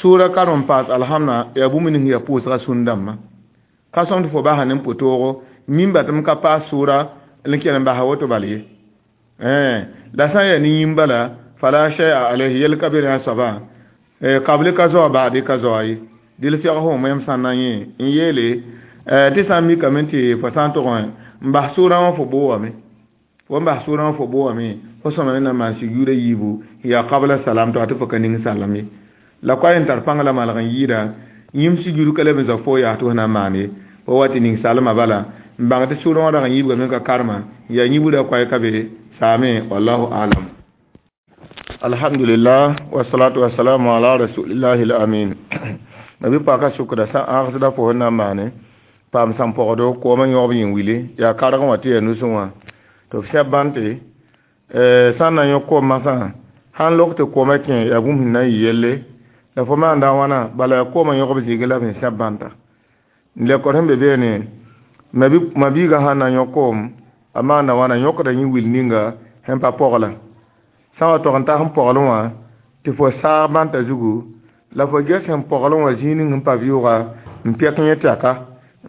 sʋʋra karem n paas alhamdã yaa bũmb ning yaa pʋʋsga sũn-dãmbã ka sõm tɩ fo basa ne pʋtoogo mimba tɩ m ka paas sʋʋra n kell n basa woto bal ye. La sã n yaa ne yĩm bala fala shay'a alayhi yel ka be rẽ a soabã kable ka zoa baade ka zoa ye. Dɩl fɛg fo yãmb sã n na n yẽ n yeele tɩ sã n mikame tɩ fo sã n tog n bas sʋʋrã wã fo boowame fo n bas sʋʋrã wã fo boowame fo sõma me na n maan sujuuda yiibu yaa qabla salam tɩ tɩ fo ka ning salam ye. La koa n tar pãng la malg n yɩɩda yĩm sujuud ka leb n zao fo yaa tɩ fo na n maan ye fo wa tɩ ning salmã bala n bãng tɩ sʋʋrã wã rag n yibgame ka karema yaa yĩbra koɛɛ ka be saame. Wallahu alam. Alhamdulillah wassalatu wassalamu ala rasulillahi al-amin. Mabi paka sukda sã ãgsda fo sẽn na n maane paam sãn pɔgdo koomã yõgb yĩn wile yaa karg wã tɩ yaa nusẽ wã tɩ b sɛb bãn tɩ sã n na yõ koom masã sãn lok tɩ koomã kẽ yaa bũmb sẽn na n yɩ yelle la fo maanda wãna bala yaa koomã yõgb zĩigẽ la b sẽn sẽb bãnta. Lekor sẽn be beene mabiigã sãn na yõ koom a maanda wãna yõkda yẽ wil ninga sẽn pa pɔgla sã n wa tog n ta sẽn pɔglẽ wã tɩ fo saag bãntã zugu la fo ges sẽn pɔglẽ wã zĩig ning sẽn pa vɩʋʋga n pɛk yẽ tɛka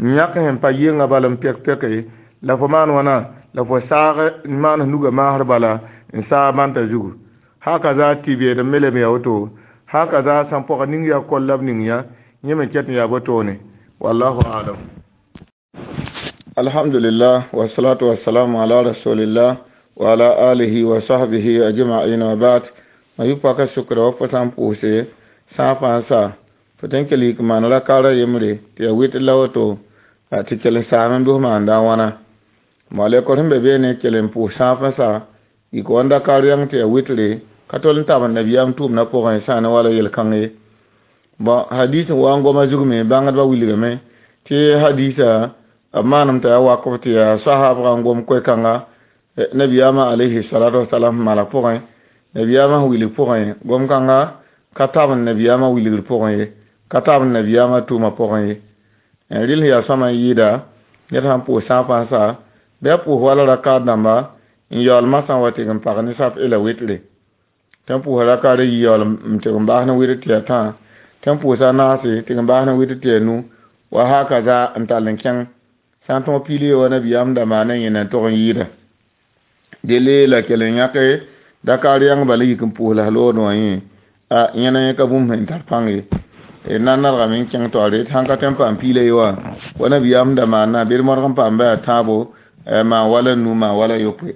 n yãk sẽn pa yɩnga bala n pɛk pɛke la fo maan wãna la fo saag n maan nugã maasr bala n saag bãntã zugu haka za tɩ beed n me leb ya woto haka za sãn pɔg ning yaa koll la b ning yã yẽ me ket n yaa botone. Wallahu alam. Alhamdulillah wassalatu wassalamu ala rasulillah وعلى آله وصحبه أجمعين وبعد. Ma yʋ paka sʋkra wa fo sã n pʋʋse sã fãa sa fo tõe n kell yik n maan rakaara yembre tɩ yaa wɩtr la woto tɩ kell n saam n bɩs maanda a wãna. Malɛkr sẽn be beene kell n pʋʋs sãaf n sa yik wa n dakaar yãng tɩ yaa wɩtre ka tol n tabend nabiyaam tʋʋmdã pʋgẽ sã ne wala yel-kãng ye. Bon, hadis n wa n goma zug me bãngdbã wilgame tɩ hadisa b maanem t'a yaa wakf tɩ yaa sahabga n gom koe-kãnga nabiyaamã alayhi salatu wasalam malg pʋgẽ, nabiyaamã sẽn wilg pʋgẽ gom-kãnga ka tabend nabiyaamã wilgr pʋgẽ ye, ka tabend nabiyaamã tʋʋmã pʋgẽ ye. Rɩl sẽn yaa sõma n yɩɩda ned sãn pʋʋs sãafã n sa bɩ a pʋʋs wala rakaad dãmba n yaool masã wa tɩg n pag ne saf ela wɩtre tɩ n pʋʋsa rakaad a yi yaool n tɩg n baas ne wɩtr tɩ yaa tã, tɩ n pʋʋsa naase tɩg n baas ne wɩtr tɩ yaa nu wa hakaza n tall n kẽng sã n tõog piili ye wa nabiyaam da maana yẽna n tog n yɩɩda. Dele la kell n yãke dakaar yãng bala yik n pʋʋs la loodẽ wã yẽ a yẽna yẽ ka bũmb sẽn tar pãng ye. Na n nadgame n kẽng taoore tɩ sãn ka tõe n paam piila ye wã wa nabiyaam da maana bɩ d modg n paam bɩ yaa tãabo maan wala nu maan wala yopoe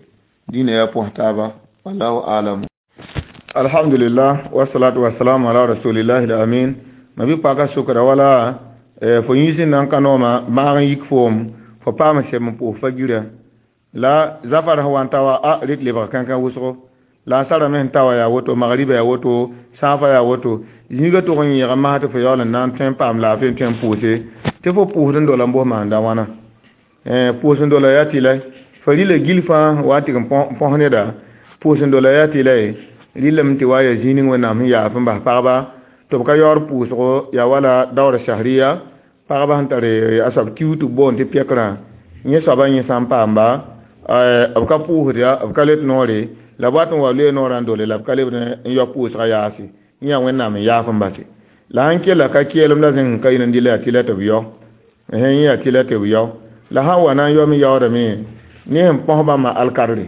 dĩnã yaa pʋs taaba wallahu alam. Alhamdulillah wasalatu wasalamu ala rasulillahi al-amin. Ma bɩ paka sʋkra wala fo yĩns n na n ka nooma maag n yik foom fo paam sem n pʋʋs fa gira la zafar sẽn wa n ta wa a rɩt lebg kãnkã wʋsgo la a sara me sẽn ta wa yaa woto, magriba yaa woto, sãafa yaa woto, zĩiga tʋg n yẽg n mas tɩ fo yaool n na n tõe n paam laafɩ n tõe n pʋʋse tɩ fo pʋʋsd n dola n bos maanda wãna. Pʋʋs n dola yaa tɩ la fa rɩla gil fãa wa n tɩg n põs neda pʋʋs n dola yaa tɩ la rɩlame tɩ wa yaa zĩig ning Wẽnnaam sẽn yaaf n bas pagba tɩ b ka yaood pʋʋsgo yaa wala daoor shahriya pagba sẽn tar a soab kiu tɩ b boond tɩ pɛkrã yẽ soabã yẽ sã n paamba b ka pʋʋsd ya b ka let noore la b wat n wa loe noorã n dole la b ka lebd n yao pʋʋsgã yaase yẽ yaa Wẽnnaam n yaaf n base la sãn kella ka keelem la zẽng ka yĩn dɩla yaa tɩ la tɩ b yao yẽ yaa tɩ la tɩ b yao la sãn wa na n yaoome yaoodame ne sẽn põs bãmba alkadre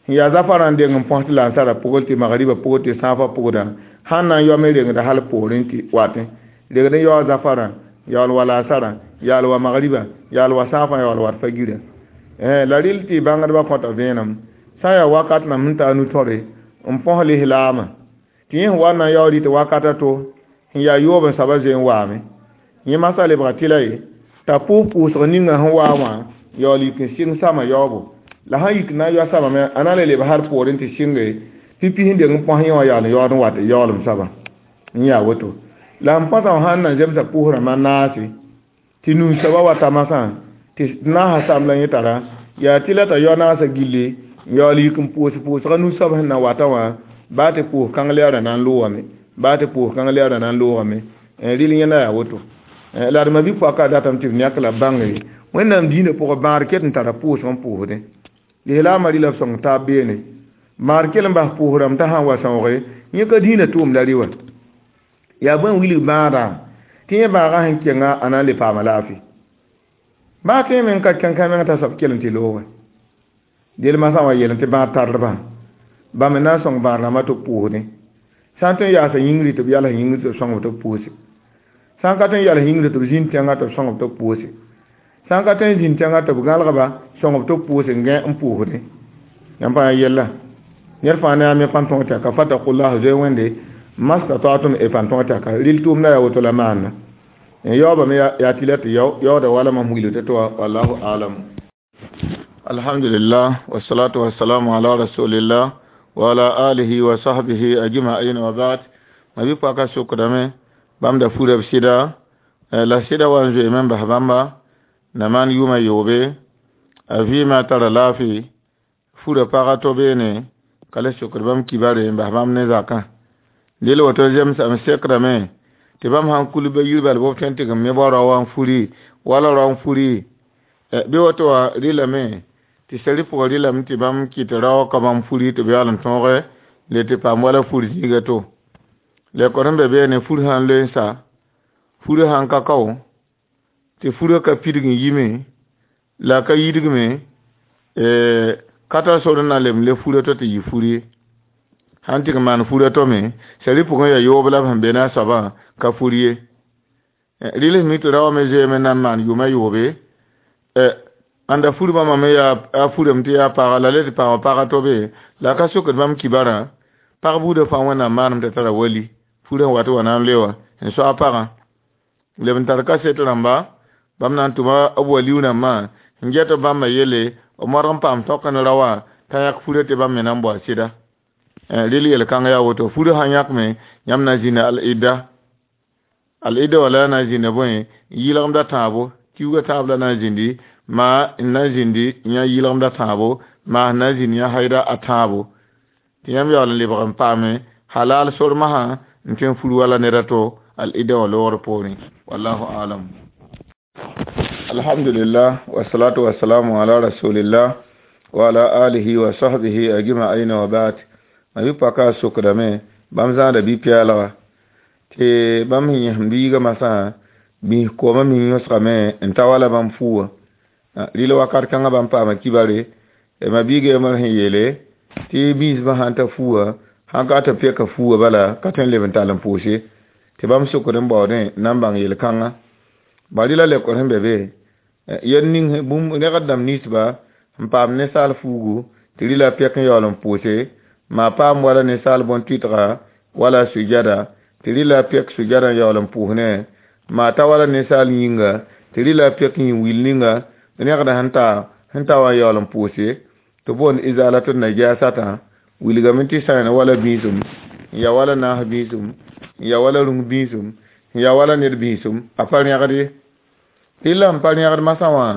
sẽn yaa zafarã n deng n põs tɩ la n sara pʋgl tɩ magriba pʋgd tɩ sãafã pʋgdã sãn na n yaoome rengda hal poorẽ tɩ watẽ regd n yaoa zafarã yaool wa laasarã yaal wa magriba yaal wa sãafã yaool wat fa gira la rɩl tɩ bãngdbã kõta vẽenem sã n yaa wakat nam sẽn taa nu-tõre n põs lislaamã tɩ yẽ sẽn wa n na n yaood tɩ wakata to sẽn yaa yoob n soaba zoe n waame yẽ masã lebga tɩ la ye t'a pʋʋs pʋʋsg ninga sẽn waa wã yaool yik n sɩng sama yaoobo la sãn yik na n yao samame a na n le leb hal poorẽ tɩ sɩnge pipi sẽn deng n põs yẽ wã yaool n yaood n wat yaoolem soaba n yaa woto la n põsã sãn na zemsa pʋʋs rãmbã naase tɩ nuu soaba wa ta masã tɩ naasã sam la yẽ tara yaa tɩ la t'a yao naasã gilli n yaool yik n pʋʋs pʋʋsga nu-soab sẽn na wata wã baa tɩ pʋʋs kãng lɛɛrã na n loogame baa tɩ pʋʋs kãng lɛɛrã na n loogame rɩl yẽnda yaa woto la d ma bɩ-poaka datame tɩ b yãk la b bãnge Wẽnnaam dĩinã pʋgẽ bãad ket n tara pʋʋsg n pʋʋsdẽ lislaamã rɩla b sõng taab beene maar kell n bas pʋʋs rãmb t'a sãn wa sõoge yẽ ka dĩinã tʋʋmda rɩ wã yaa bõe n wilg bãadã tɩ yẽ bãagã sẽn kenga a na n le paama laafɩ baa tõe me n ka kẽn kã meng t'a soab kell n tɩ looge del masã wa yeel tɩ bãad tardbã bãmb n na n sõng bãad rãmbã tɩ b pʋʋsdẽ sã n tõe n yaasa yĩngri tɩ b yals yĩngri tɩ b sõng tɩ b pʋʋse sã n ka tõe n yals yĩngri tɩ b zĩnd tẽngã tɩ b sõng tɩ b pʋʋse sã n ka tõe n zĩnd tẽngã tɩ b gãlgba sõng tɩ b pʋʋse n gẽ n pʋʋsdẽ yãmb pãa yella ned fãa ne a me pãn tõog tɛka fatakullah zoe wẽnde mastata'tum e pãn tõog tɛka rɩl tʋʋmda yaa woto la maanna n yaoobame yaa tɩ la tɩ yao yaooda wala mam wilg tɩ wa wallahu alam. Alhamdulillah wassalatu wassalamu ala rasulillah wa ala alihi wa sahbihi ajma'in wa ba'd. Ma bɩ paka sʋkdame bãmb da fura b sɩda la sɩda wa n zoeeme n bas bãmba na maan yʋʋmã yoobe a vɩɩmã tara laafɩ fura pagã to beene ka le sokd bãmb kibare n bas bãmb ne zakã del woto zemsame sekdame tɩ bãmb sãn kul ba yir bal b tõe n tɩg n me bao rao wã n furi wala rao n furi bɩ woto wã rɩlame tɩ sari pʋgã rɩlame tɩ bãmb kɩt rao ka bãmb furi tɩ b yaool n tõoge le tɩ paam wala fur zĩiga to la kõ sẽn be beene fur sã n loe n sa furã sãn ka kao tɩ furã ka pidg n yime la ka yidgme ka tar sor n na lem le furã to tɩ yɩ fur ye sãn tɩg n maan furã to me sari pʋgẽ yaa yoob la b sẽn be ne a soabã ka fur ye rɩls mi tɩ rao me zoeeme n na n maan yʋʋmã yoobe Ãnda fur bãmba me yaa a furame tɩ yaa paga la le tɩ paama pag to be la a ka sokd bãmb kibarã pag buudã fãa Wẽnnaam maanem t'a tara wali furã wat wa na n le wã n soag pagã leb n tar kaset rãmba bãmb na n tʋma b waliu rãmbã n get b bãmbã yelle b modg n paam tõk ne ra wã t'a yãk furã tɩ bãmb me na n bao a sɩda rel yel-kãng yaa woto furã sã n yãkme yãmb na n zĩnda al-idda al-idda wala na n zĩnda bõe yɩlgemda tãabo kiuugã tãab la na n zĩndi maa n na n zĩndi yã yɩlgemda tãabo maa n na n zĩnd yã haida a tãabo tɩ yãmb yaool n lebg n paame halal sor masã n tõe n fur wala ned a to al-idda wã loogr poorẽ wallahu alam. Alhamdulillah wasalatu wasalamu ala rasulillah wa ala alihi wa sahbihi ajma'in wa ba'd. Ma bi paka sokdame bãmb zãada bi-pɛɛlga tɩ bãmb sẽn yẽsem biigã masã bĩs koomã me yõsgame n ta wala bãmb fuuwã rɩl wakat kãngã bãmb paama kibare ma biiga yembr sẽn yeele tɩ biisbã sãn ta fuuwã sãn ka tɩ peka fuuwã bala ka tõe n leb n tall n pʋʋse tɩ bãmb sokd n baoodẽ na n bãng yel-kãngã ba rɩla lekor sẽn be be yel ning bũmb rẽgd dãmb ninsba n paam ninsaal fuugu tɩ rɩla pɛk n yaool n pʋʋse maa paam wala ninsaal bõn-tʋɩtga wala sujada tɩ rɩla pɛk sujada n yaool n pʋʋs ne maa ta wala ninsaal yĩnga tɩ rɩla pɛk yĩn-wil ninga rẽgda sẽn ta sẽn ta wã n yaool n pʋʋse tɩ boond izalatu najasatã wilgame tɩ sãen wala bĩisum n ya wala naas bĩisum n ya wala rũng bĩisum n ya wala ned bĩisum a pa rẽgd ye tɩ la n pa rẽgd masã wã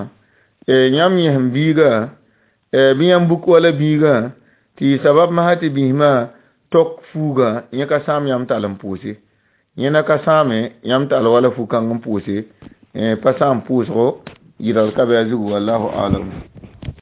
yãmb yẽsem biiga bɩ yãmb buk wala biigã tɩ yɩ sabab masã tɩ biismã tok fuugã yẽ ka sãam yãmb tall n pʋʋse yẽ na ka sãame yãmb tall wala fu-kãng n pʋʋse pa sãam pʋʋsgo yɩlgr ka bɩ a zugu wallahu alam.